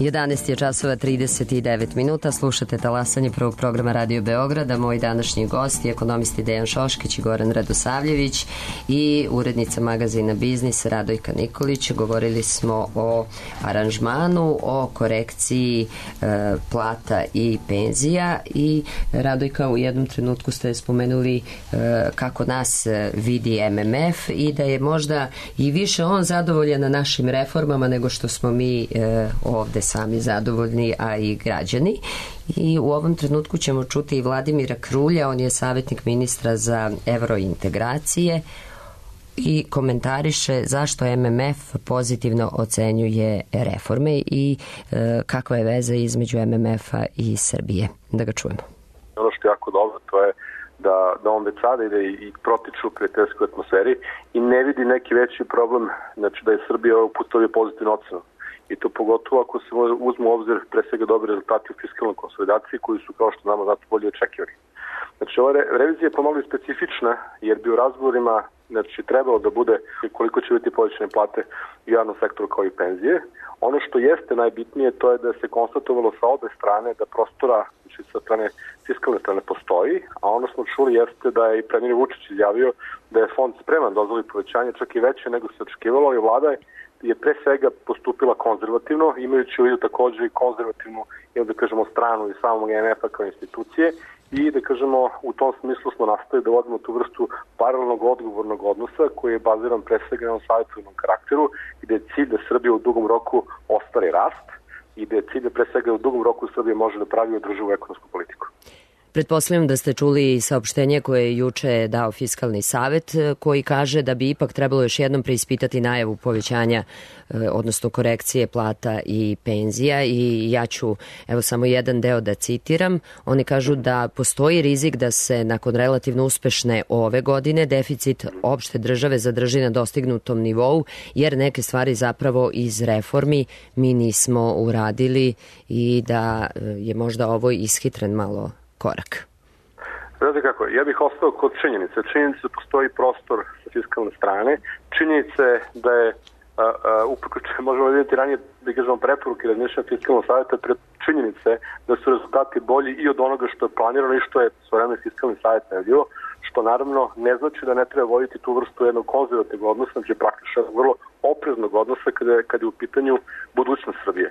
B: jedanaest je časova trideset devet minuta, slušate talasanje prvog programa Radio Beograda. Moj današnji gost je ekonomisti Dejan Šoškić i Goran Radosavljević i urednica magazina Biznis Radojka Nikolić. Govorili smo o aranžmanu, o korekciji e, plata i penzija i Radojka, u jednom trenutku ste spomenuli e, kako nas vidi M M F i da je možda i više on zadovoljan na našim reformama nego što smo mi e, ovde sami zadovoljni, a i građani. I u ovom trenutku ćemo čuti i Vladimira Krulja, on je savjetnik ministra za evrointegracije i komentariše zašto M M F pozitivno ocenjuje reforme i e, kakva je veza između M M F-a i Srbije. Da ga čujemo.
M: Ono što je jako dobro, to je da, da on već sada ide i protiču u prijateljskoj atmosferi i ne vidi neki veći problem, znači da je Srbija ovog puta dobio pozitivnu ocenu. I to pogotovo ako se uzmu u obzir pre svega dobri rezultati u fiskalnoj konsolidaciji koji su, kao što znamo, zato bolje očekivani. Znači, ova re- revizija je pomalo specifična jer bi u razgovorima znači, trebalo da bude koliko će biti povećane plate u javnom sektoru kao i penzije. Ono što jeste najbitnije to je da se konstatovalo sa obe strane da prostora, znači sa strane fiskalne strane postoji, a ono smo čuli jeste da je i premijer Vučić izjavio da je fond spreman dozvoli povećanje čak i veće nego se očekivalo i vlada je je pre svega postupila konzervativno, imajući u vidu također i konzervativnu, ili da kažemo, stranu i samog M M F-a kao institucije i da kažemo u tom smislu smo nastavili da vodimo tu vrstu paralelnog odgovornog odnosa koji je baziran pre svega na savjetodavnom karakteru gde je cilj da Srbija u dugom roku ostvari rast i da je cilj da pre svega u dugom roku Srbija može da pravi održivu ekonomsku politiku.
B: Pretpostavljam da ste čuli saopštenje koje je juče dao Fiskalni savet koji kaže da bi ipak trebalo još jednom preispitati najavu povećanja, odnosno korekcije plata i penzija i ja ću evo samo jedan deo da citiram. Oni kažu da postoji rizik da se nakon relativno uspešne ove godine deficit opšte države zadrži na dostignutom nivou jer neke stvari zapravo iz reformi mi nismo uradili i da je možda ovo ishitren malo korak.
M: Znate kako, ja bih ostao kod činjenice. Činjenice da postoji prostor sa fiskalne strane. Činjenice da je upravo možemo vidjeti ranije da kažemo preporuke razmišljanja fiskalnog savjeta pred činjenice da su rezultati bolji i od onoga što je planirano i što je svojevremeno fiskalni savjet najavio, što naravno ne znači da ne treba voditi tu vrstu jednog konzervativnog odnosa, znači praktično vrlo opreznog odnosa kada je, kada je u pitanju budućnost Srbije.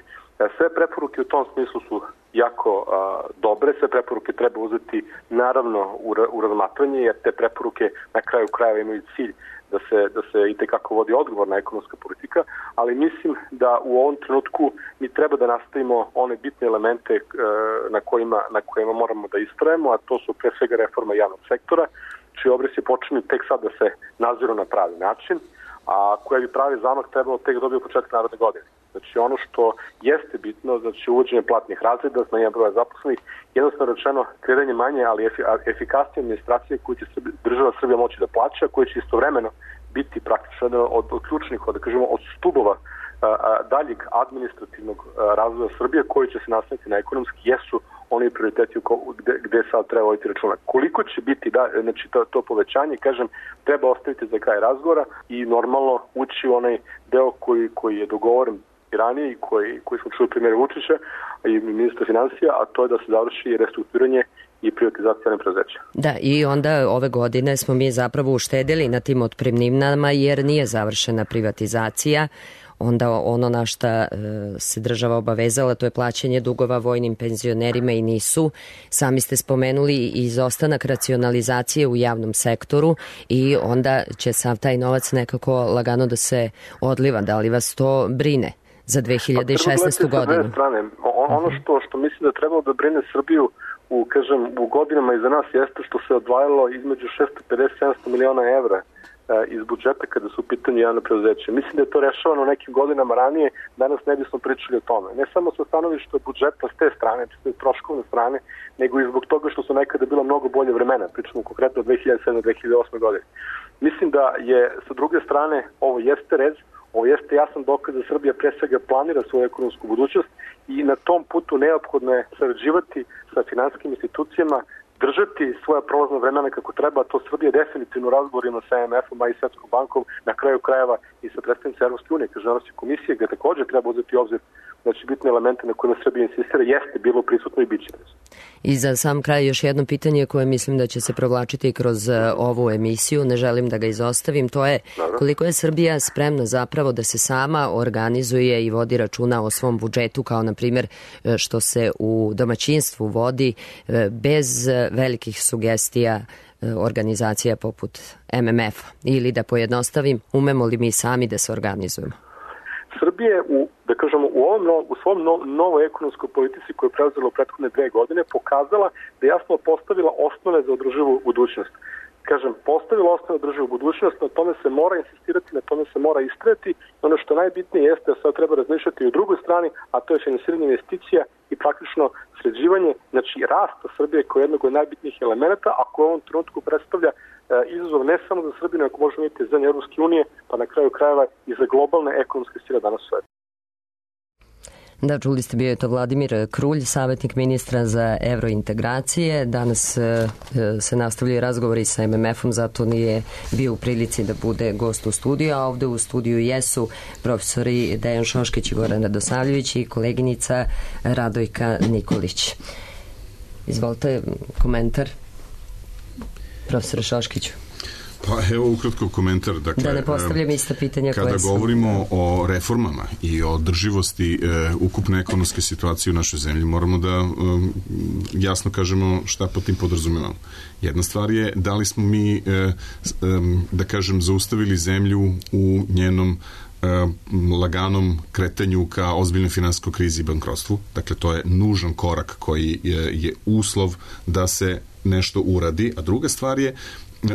M: Sve preporuke u tom smislu su jako a, dobre, sve preporuke treba uzeti naravno u, u razmatranje jer te preporuke na kraju krajeva imaju cilj da se, da se i tekako vodi odgovorna ekonomska politika, ali mislim da u ovom trenutku mi treba da nastavimo one bitne elemente e, na, kojima, na kojima moramo da istrajemo, a to su pre svega reforma javnog sektora, čiji obrisi počinju tek sad da se naziru na pravi način, a koja bi pravi zamak trebalo tek dobiti u početku naredne godine. Znači ono što jeste bitno, znači uvođenje platnih razreda, smanjenje broja zaposlenih, jednostavno rečeno kreiranje manje, ali efikasnije administracije koju će država Srbija moći da plaća, koje će istovremeno biti praktično od, od ključnih, od, da kažemo, od stubova a, a, daljeg administrativnog a, razvoja Srbije koji će se nastaviti na ekonomski, jesu oni prioriteti gde, gde sad treba voditi računa. Koliko će biti da, znači to, to povećanje, kažem, treba ostaviti za kraj razgovora i normalno ući u onaj deo koji, koji je dogovoren ranije i koji, koji smo čuli premijera Vučića i ministra financija, a to je da se završi restrukturiranje i privatizacija nepreduzeća.
B: Da, i onda ove godine smo mi zapravo uštedili na tim otpremninama jer nije završena privatizacija. Onda ono na šta se država obavezala, to je plaćanje dugova vojnim penzionerima i nisu. Sami ste spomenuli izostanak racionalizacije u javnom sektoru i onda će sav taj novac nekako lagano da se odliva. Da li vas to brine za dve hiljade šesnaestu godinu?
M: Strane. Ono što, što mislim da trebalo da brine Srbiju u, kažem, u godinama iza nas jeste što se odvajalo između šesto pedeset do sedamsto miliona evra iz budžeta kada su u pitanju javne preduzeće. Mislim da je to rešavano nekim godinama ranije, danas ne bismo pričali o tome. Ne samo sa stanovišta budžeta s te strane, s te troškovne strane, nego i zbog toga što su nekada bila mnogo bolje vremena, pričamo konkretno od dve hiljade sedme do dve hiljade osme godine. Mislim da je sa druge strane ovo jeste rez, ovo jeste jasan dokaz da Srbija pre svega planira svoju ekonomsku budućnost i na tom putu neophodno je sarađivati sa finansijskim institucijama, držati svoja prolazna vremena kako treba, to Srbija definitivno razgovorima sa M F-om, a i Svetskom bankom, na kraju krajeva i sa predstavnicima Evropske unije, kaže Evropske komisije, gde takođe treba uzeti obzir da će bitne elemente na kojima Srbija insistira, jeste bilo prisutno i bit će.
B: I za sam kraj još jedno pitanje koje mislim da će se provlačiti kroz ovu emisiju, ne želim da ga izostavim, to je koliko je Srbija spremna zapravo da se sama organizuje i vodi računa o svom budžetu, kao na primjer što se u domaćinstvu vodi bez velikih sugestija organizacija poput M M F-a, ili da pojednostavim, umemo li mi sami da se organizujemo?
M: Srbija je u, da kažemo, u, ovom, u svom no, novoj ekonomskoj politici koju je preuzela u prethodne dve godine pokazala da je jasno postavila osnove za održivu budućnost. Kažem, postavila osnove za održivu budućnost, na tome se mora insistirati, na tome se mora istrajati. Ono što najbitnije jeste da sad treba razmišljati i u drugoj strani, a to je finansiranje investicija i praktično sređivanje, znači rasta Srbije kao jednog od najbitnijih elemenata, a koje u ovom trenutku predstavlja izazov ne samo za Srbiju, nego možemo imati za Evropske unije, pa na kraju krajeva i za globalne ekonomske sile danas u svetu.
B: Da, čuli ste, bio je to Vladimir Krulj, savjetnik ministra za evrointegracije. Danas e, se nastavljaju razgovori sa M M F-om, zato nije bio u prilici da bude gost u studiju, a ovde u studiju jesu profesori Dejan Šoškić i Goran Radosavljević i koleginica Radojka Nikolić. Izvolite, komentar, profesor Šoškiću.
E: Pa evo ukratko komentar. Dakle,
B: da ne postavljam ista pitanja
E: kada
B: koje sam...
E: govorimo o reformama i o održivosti e, ukupne ekonomske situacije u našoj zemlji, moramo da e, jasno kažemo šta po tim podrazumevamo. Jedna stvar je da li smo mi, e, e, da kažem, zaustavili zemlju u njenom laganom kretanju ka ozbiljnoj finansijskoj krizi i bankrotstvu. Dakle, to je nužan korak koji je, je uslov da se nešto uradi. A druga stvar je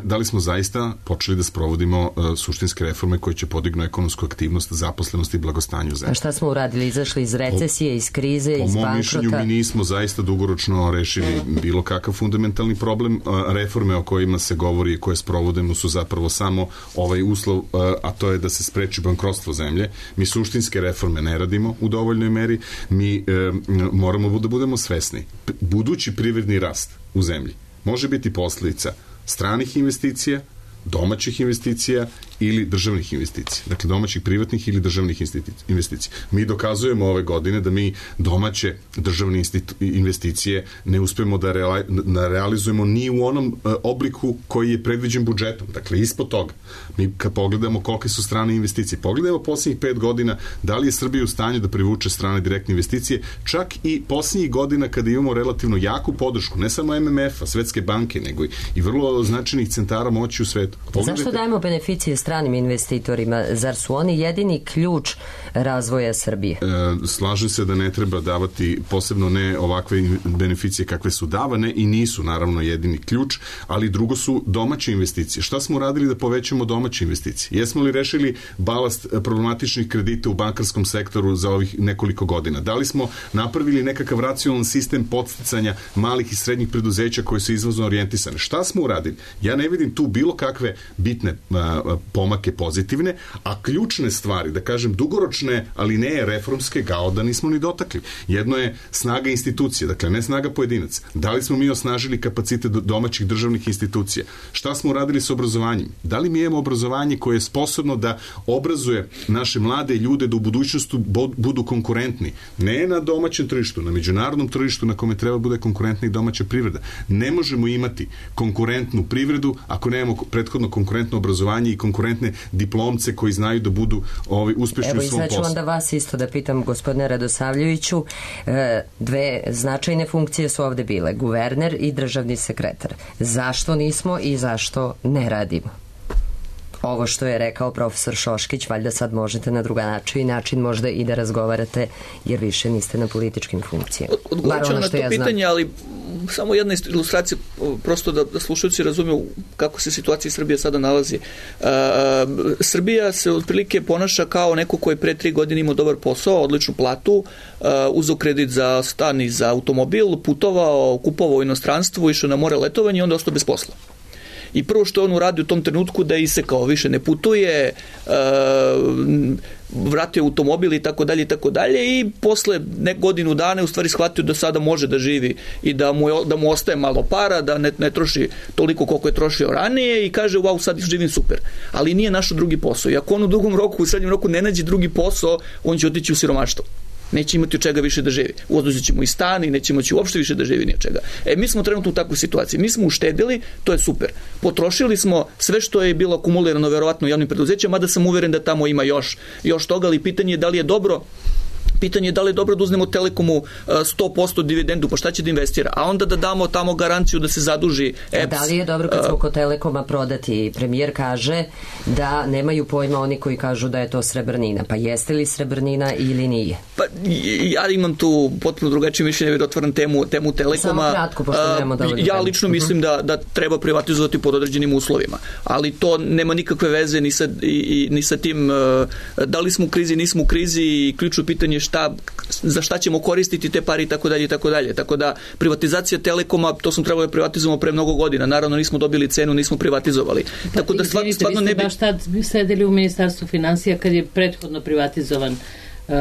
E: da li smo zaista počeli da sprovodimo uh, suštinske reforme koje će podignu ekonomsku aktivnost, zaposlenost i blagostanje u zemlji.
B: A šta smo uradili? Izašli iz recesije, iz krize, iz bankrota?
E: Po mom mišljenju mi nismo zaista dugoročno rešili bilo kakav fundamentalni problem. Uh, reforme o kojima se govori i koje sprovodimo su zapravo samo ovaj uslov, uh, a to je da se spreči bankrotstvo zemlje. Mi suštinske reforme ne radimo u dovoljnoj meri. Mi uh, moramo da budemo svesni. Budući privredni rast u zemlji može biti posljedica stranih investicija, domaćih investicija ili državnih investicija. Dakle, domaćih privatnih ili državnih investicija. Mi dokazujemo ove godine da mi domaće državne investicije ne uspemo da, reali, da realizujemo ni u onom uh, obliku koji je predviđen budžetom. Dakle, ispod toga. Mi kad pogledamo kolike su strane investicije, pogledamo posljednjih pet godina da li je Srbija u stanju da privuče strane direktne investicije, čak i posljednjih godina kada imamo relativno jaku podršku, ne samo M M F-a, Svetske banke, nego i, i vrlo značajnih centara moći u svetu.
B: Pogledajte... Zašto dajemo beneficije stranim investitorima? Zar su oni jedini ključ razvoja Srbije?
E: E, slažem se da ne treba davati posebno ne ovakve beneficije kakve su davane i nisu naravno jedini ključ, ali drugo su domaće investicije. Šta smo uradili da povećamo domaće investicije? Jesmo li rešili balast problematičnih kredita u bankarskom sektoru za ovih nekoliko godina? Da li smo napravili nekakav racionalan sistem podsticanja malih i srednjih preduzeća koje su izvozno orijentisane? Šta smo uradili? Ja ne vidim tu bilo kakve bitne a, pomake pozitivne, a ključne stvari, da kažem dugoročne, ali ne reformske, kao da nismo ni dotakli. Jedno je snaga institucije, dakle ne snaga pojedinaca. Da li smo mi osnažili kapacitet domaćih državnih institucija? Šta smo uradili s obrazovanjem? Da li mi imamo obrazovanje koje je sposobno da obrazuje naše mlade ljude da u budućnosti budu konkurentni? Ne na domaćem tržištu, na međunarodnom tržištu na kome treba bude konkurentna i domaća privreda. Ne možemo imati konkurentnu privredu ako nemamo prethodno konkurentno obrazovanje i konkurentne diplomce koji znaju da budu ovaj, uspešni
B: Evo,
E: u svom poslu.
B: Evo i sad ću onda vas isto da pitam, gospodine Radosavljeviću, dve značajne funkcije su ovde bile, guverner i državni sekretar. Zašto nismo i zašto ne radimo? Ovo što je rekao profesor Šoškić, valjda sad možete na druga način i način možda i da razgovarate, jer više niste na političkim funkcijama.
F: Odgovorit ću na to ja pitanje, ali samo jedna ilustracija, prosto da, da slušalci razumiju kako se situacija Srbije sada nalazi. Uh, Srbija se otprilike ponaša kao neko koji pre tri godine imao dobar posao, odličnu platu, uh, uzeo kredit za stan i za automobil, putovao, kupovao u inostranstvu, išao na more letovanje i onda ostao bez posla. I prvo što on uradio u tom trenutku da je isekao, više ne putuje, uh, vratio automobil i tako dalje i tako dalje i posle nek godinu dana u stvari shvatio da sada može da živi i da mu, je, da mu ostaje malo para, da ne, ne troši toliko koliko je trošio ranije i kaže wow, sad živim super. Ali nije našao drugi posao. I ako on u drugom roku, u srednjem roku ne nađe drugi posao, on će otići u siromaštvo. Neće imati od čega više da živi. Oduzet ćemo i stan i neće moći uopšte više da živi ni od čega. E, mi smo trenutno u takvoj situaciji. Mi smo uštedili, to je super. Potrošili smo sve što je bilo akumulirano verovatno u javnim preduzećima, mada sam uveren da tamo ima još, još toga, ali pitanje je da li je dobro Pitanje je da li je dobro da uzmemo Telekomu sto posto dividendu, pa šta će da investira? A onda da damo tamo garanciju da se zaduži E P S.
B: Da li je dobro kad smo kod Telekoma prodati? Premijer kaže da nemaju pojma oni koji kažu da je to srebrnina. Pa jeste li srebrnina ili nije?
F: Pa ja imam tu potpuno drugačije mišljenje da otvaram temu, temu Telekoma.
B: Samo kratko, pošto nemamo dovoljno.
F: Ja lično mislim da, da treba privatizovati pod određenim uslovima. Ali to nema nikakve veze ni sa, i, ni sa tim da li smo u krizi, nismo u krizi i ključno pitanje šta, za šta ćemo koristiti te pare i tako dalje i tako dalje. Tako da privatizacija Telekoma, to smo trebali da privatizovamo pre mnogo godina. Naravno nismo dobili cenu, nismo privatizovali.
A: Pa,
F: tako da stvarno, stvarno ne bi...
A: baš tad sedeli u Ministarstvu finansija kad je prethodno privatizovan uh,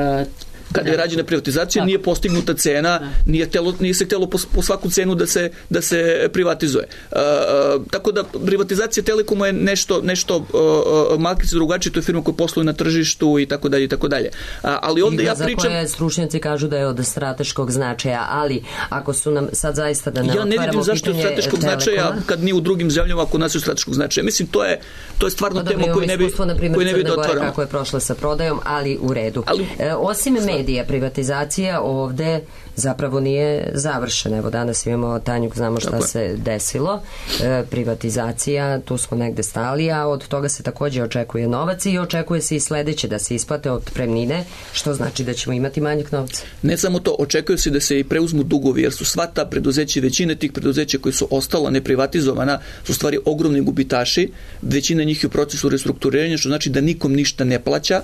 F: kada je rađena privatizacija, nije postignuta cena, nije, telo, nije se htjelo po, po svaku cenu da se, da se privatizuje. Uh, uh, tako da privatizacija Telekoma je nešto, nešto uh, malkice drugačije, to je firma koja posluje na tržištu i tako dalje i tako dalje. Uh, ali onda ja pričam...
B: za koje stručnjaci kažu da je od strateškog značaja, ali ako su nam sad zaista da ne
F: ja ne vidim zašto je strateškog
B: Telekoma,
F: značaja kad nije u drugim zemljama ako nas je strateškog značaja. Mislim, to je, to je stvarno tema koju ne bi, koju ne bi da otvaramo.
B: Kako je prošla sa prodajom, ali u redu. Ali, e, osim medija, privatizacija ovde zapravo nije završena. Evo danas imamo Tanjuk, znamo šta Tako. se desilo. E, privatizacija, tu smo negde stali, a od toga se takođe očekuje novac i očekuje se i sledeće da se isplate otpremnine, što znači da ćemo imati manjak novca.
F: Ne samo to, očekuje se da se i preuzmu dugovi, jer su sva ta preduzeća, većina tih preduzeća koji su ostala neprivatizovana, su stvari ogromni gubitaši, većina njih je u procesu restrukturiranja, što znači da nikom ništa ne plaća,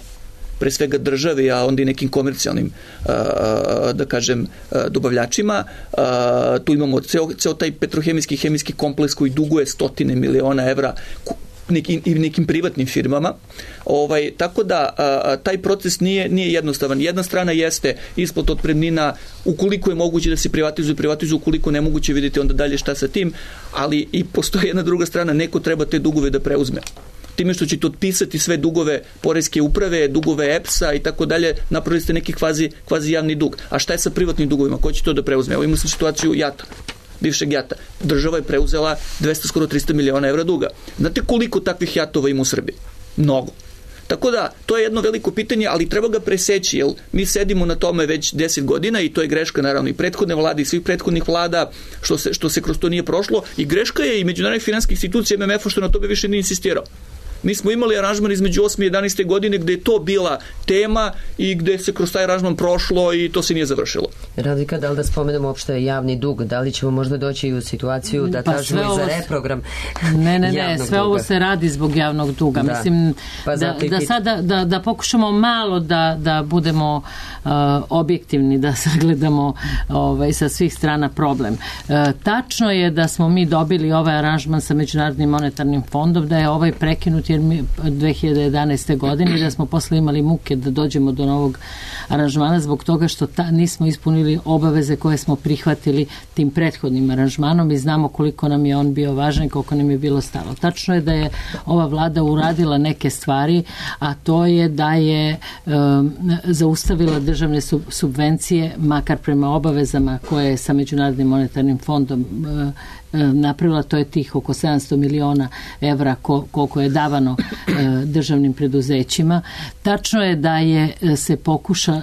F: pre svega državi, a onda i nekim komercijalnim, da kažem, dobavljačima. Tu imamo ceo, ceo taj petrohemijski i hemijski kompleks koji duguje stotine miliona evra nekim, i nekim privatnim firmama. Ovaj, tako da a, taj proces nije, nije jednostavan. Jedna strana jeste isplata otpremnina, ukoliko je moguće da se privatizuje, privatizuje, ukoliko ne moguće, vidite onda dalje šta sa tim, ali i postoji jedna druga strana, neko treba te dugove da preuzme. Time što ćete otpisati sve dugove poreske uprave, dugove E P S-a i tako dalje, napravili ste neki kvazi, kvazi javni dug. A šta je sa privatnim dugovima? Ko će to da preuzme? Evo imamo sam situaciju Jata, bivšeg Jata. Država je preuzela dvesta, skoro trista miliona evra duga. Znate koliko takvih Jatova ima u Srbiji? Mnogo. Tako da, to je jedno veliko pitanje, ali treba ga preseći, jer mi sedimo na tome već deset godina i to je greška naravno i prethodne vlade i svih prethodnih vlada što se, što se kroz to nije prošlo i greška je i međunarodnih finansijskih institucija M M F-a što na tome više nije insistirao. Mi smo imali aranžman između osme i jedanaeste godine gde je to bila tema i gde se kroz taj aranžman prošlo i to se nije završilo.
B: Radika, da li da spomenemo uopšte javni dug? Da li ćemo možda doći u situaciju da pa kažemo i za reprogram
A: Ne, ne, ne, sve duga. Ovo se radi zbog javnog duga. Da. Mislim pa da, da sada da, da pokušamo malo da, da budemo uh, objektivni, da sagledamo ovaj, sa svih strana problem. Uh, tačno je da smo mi dobili ovaj aranžman sa Međunarodnim monetarnim fondom, da je ovaj prekinut jer mi dve hiljade jedanaeste. godine da smo posle imali muke da dođemo do novog aranžmana zbog toga što ta, nismo ispunili obaveze koje smo prihvatili tim prethodnim aranžmanom i znamo koliko nam je on bio važan i koliko nam je bilo stalo. Tačno je da je ova vlada uradila neke stvari, a to je da je um, zaustavila državne sub, subvencije makar prema obavezama koje je sa Međunarodnim monetarnim fondom uh, napravila, to je tih oko sedamsto miliona evra koliko je davano državnim preduzećima. Tačno je da je se pokuša,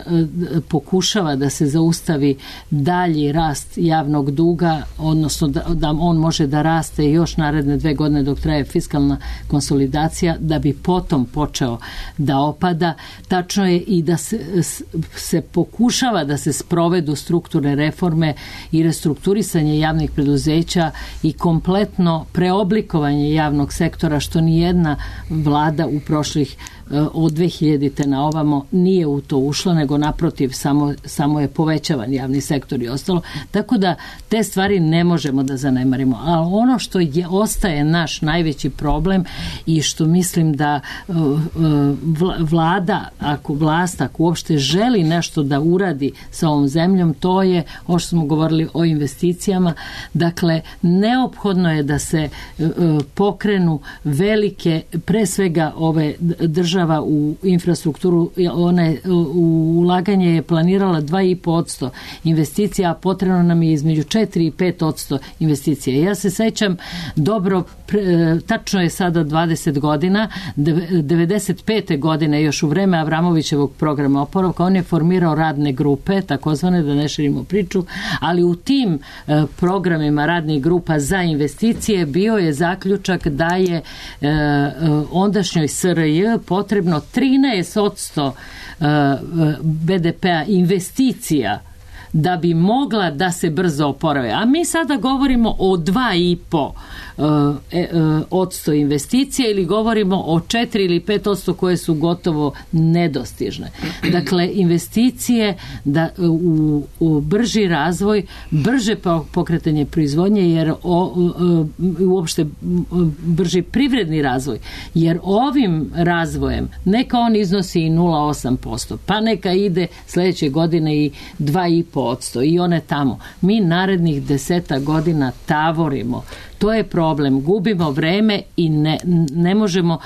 A: pokušava da se zaustavi dalji rast javnog duga, odnosno da, da on može da raste još naredne dve godine dok traje fiskalna konsolidacija, da bi potom počeo da opada. Tačno je i da se, se pokušava da se sprovedu strukturne reforme i restrukturisanje javnih preduzeća i kompletno preoblikovanje javnog sektora, što ni jedna vlada vlada u prošlih od dve hiljadite na ovamo nije u to ušla, nego naprotiv samo, samo je povećavan javni sektor i ostalo. Tako da te stvari ne možemo da zanemarimo. Ali ono što je, ostaje naš najveći problem i što mislim da vlada, ako vlast, ako uopšte želi nešto da uradi sa ovom zemljom, to je, ovo što smo govorili o investicijama, dakle, neophodno je da se pokrenu velike, pre svega ove države u infrastrukturu, one, u ulaganje je planirala dva i po posto investicija, a potrebno nam je između četiri i pet posto investicija. Ja se sećam dobro, tačno je sada dvadeset godina, devedeset pete godine, još u vreme Avramovićevog programa oporavka, on je formirao radne grupe, takozvane, da ne širimo priču, ali u tim programima radnih grupa za investicije bio je zaključak da je ondašnjoj S R J potrebno trinaest posto B D P-a investicija da bi mogla da se brzo oporave. A mi sada govorimo o dva i po odsto investicije ili govorimo o četiri ili pet odsto koje su gotovo nedostižne. Dakle, investicije da, u, u brži razvoj, brže pokretanje proizvodnje, jer o, uopšte brži privredni razvoj, jer ovim razvojem neka on iznosi i nula zarez osam posto, pa neka ide sledeće godine i dva i po odsto i one tamo. Mi narednih deseta godina tavorimo. To je problem. Gubimo vreme i ne, ne možemo,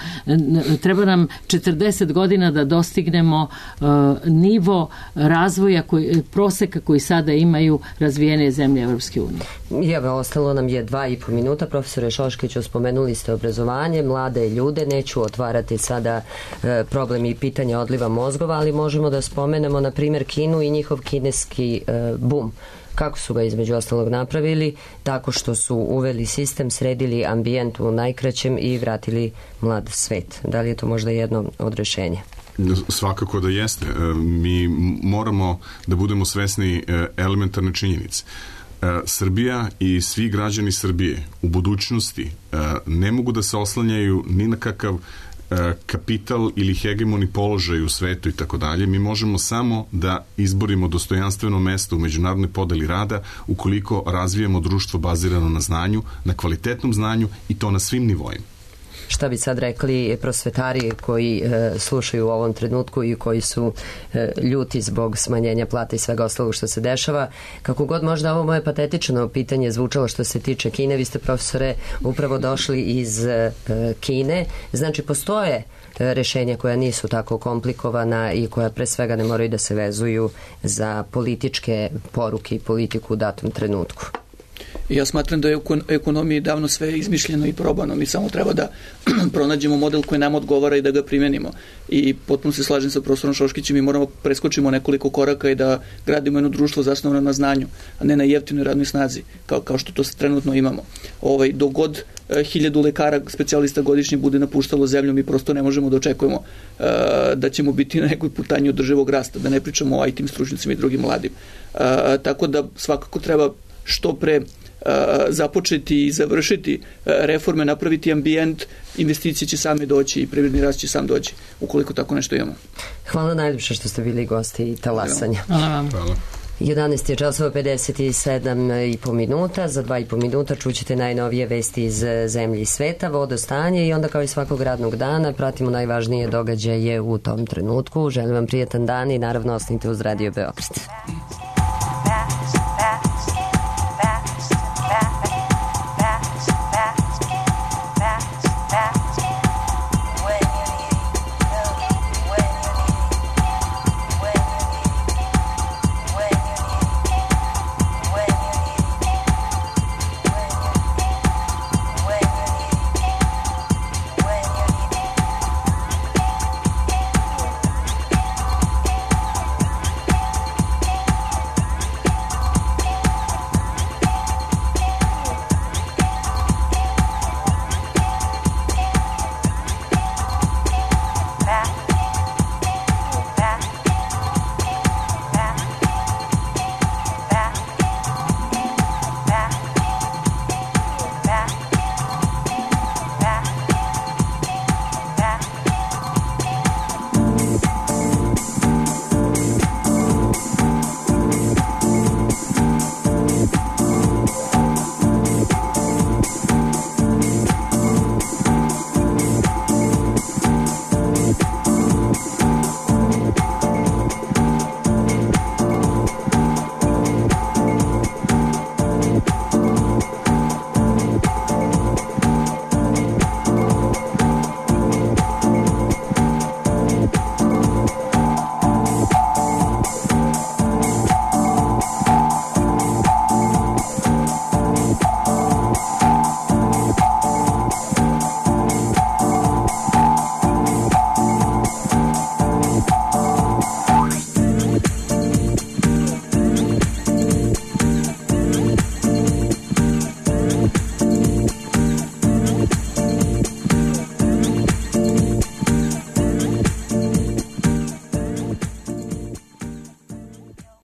A: treba nam četrdeset godina da dostignemo uh, nivo razvoja, koji, proseka koji sada imaju razvijene zemlje Evropske unije.
B: Evo, ostalo nam je dva i po minuta. Profesore Šoškiću, spomenuli ste obrazovanje, mlade ljude, neću otvarati sada uh, problem i pitanja odliva mozgova, ali možemo da spomenemo, na primjer, Kinu i njihov kineski uh, bum. Kako su ga između ostalog napravili? Tako što su uveli sistem, sredili ambijent u najkraćem i vratili mlad svet. Da li je to možda jedno od rešenja?
E: Svakako da jeste. Mi moramo da budemo svesni elementarne činjenice. Srbija i svi građani Srbije u budućnosti ne mogu da se oslanjaju ni na kakav kapital ili hegemoni položaj u svetu i tako dalje. Mi možemo samo da izborimo dostojanstveno mesto u međunarodnoj podeli rada ukoliko razvijemo društvo bazirano na znanju, na kvalitetnom znanju i to na svim nivoima.
B: Šta bi sad rekli prosvetari koji e, slušaju u ovom trenutku i koji su e, ljuti zbog smanjenja plata i svega ostalog što se dešava? Kako god možda ovo moje patetično pitanje zvučalo što se tiče Kine, vi ste, profesore, upravo došli iz e, Kine. Znači, postoje e, rešenja koja nisu tako komplikovana i koja pre svega ne moraju da se vezuju za političke poruke i politiku u datom trenutku.
F: Ja smatram da je u ekonomiji davno sve izmišljeno i probano. Mi samo treba da pronađemo model koji nam odgovara i da ga primenimo. I potpuno se slažem sa profesorom Šoškićem, mi moramo preskočimo nekoliko koraka i da gradimo jedno društvo zasnovano na znanju, a ne na jeftinoj radnoj snazi, kao, kao što to trenutno imamo. Ovaj, dogod e, hiljadu lekara, specijalista godišnje bude napuštalo zemlju, mi prosto ne možemo da očekujemo e, da ćemo biti na nekoj putanji održivog rasta, da ne pričamo o I T stručnicima i drugim mladim. E, tako da svakako treba što pre započeti i završiti reforme, napraviti ambijent, investicije će same doći i privredni rast će sam doći, ukoliko tako nešto imamo.
B: Hvala najljepše što ste bili gosti talasanja.
A: Hvala vam.
E: Hvala.
B: jedanaest je časova pedeset sedam i po minuta. Za dva i po minuta čućete najnovije vesti iz zemlje i sveta, vodostanje i onda kao i svakog radnog dana pratimo najvažnije događaje u tom trenutku. Želim vam prijetan dan i naravno ostanite uz Radio Beograd.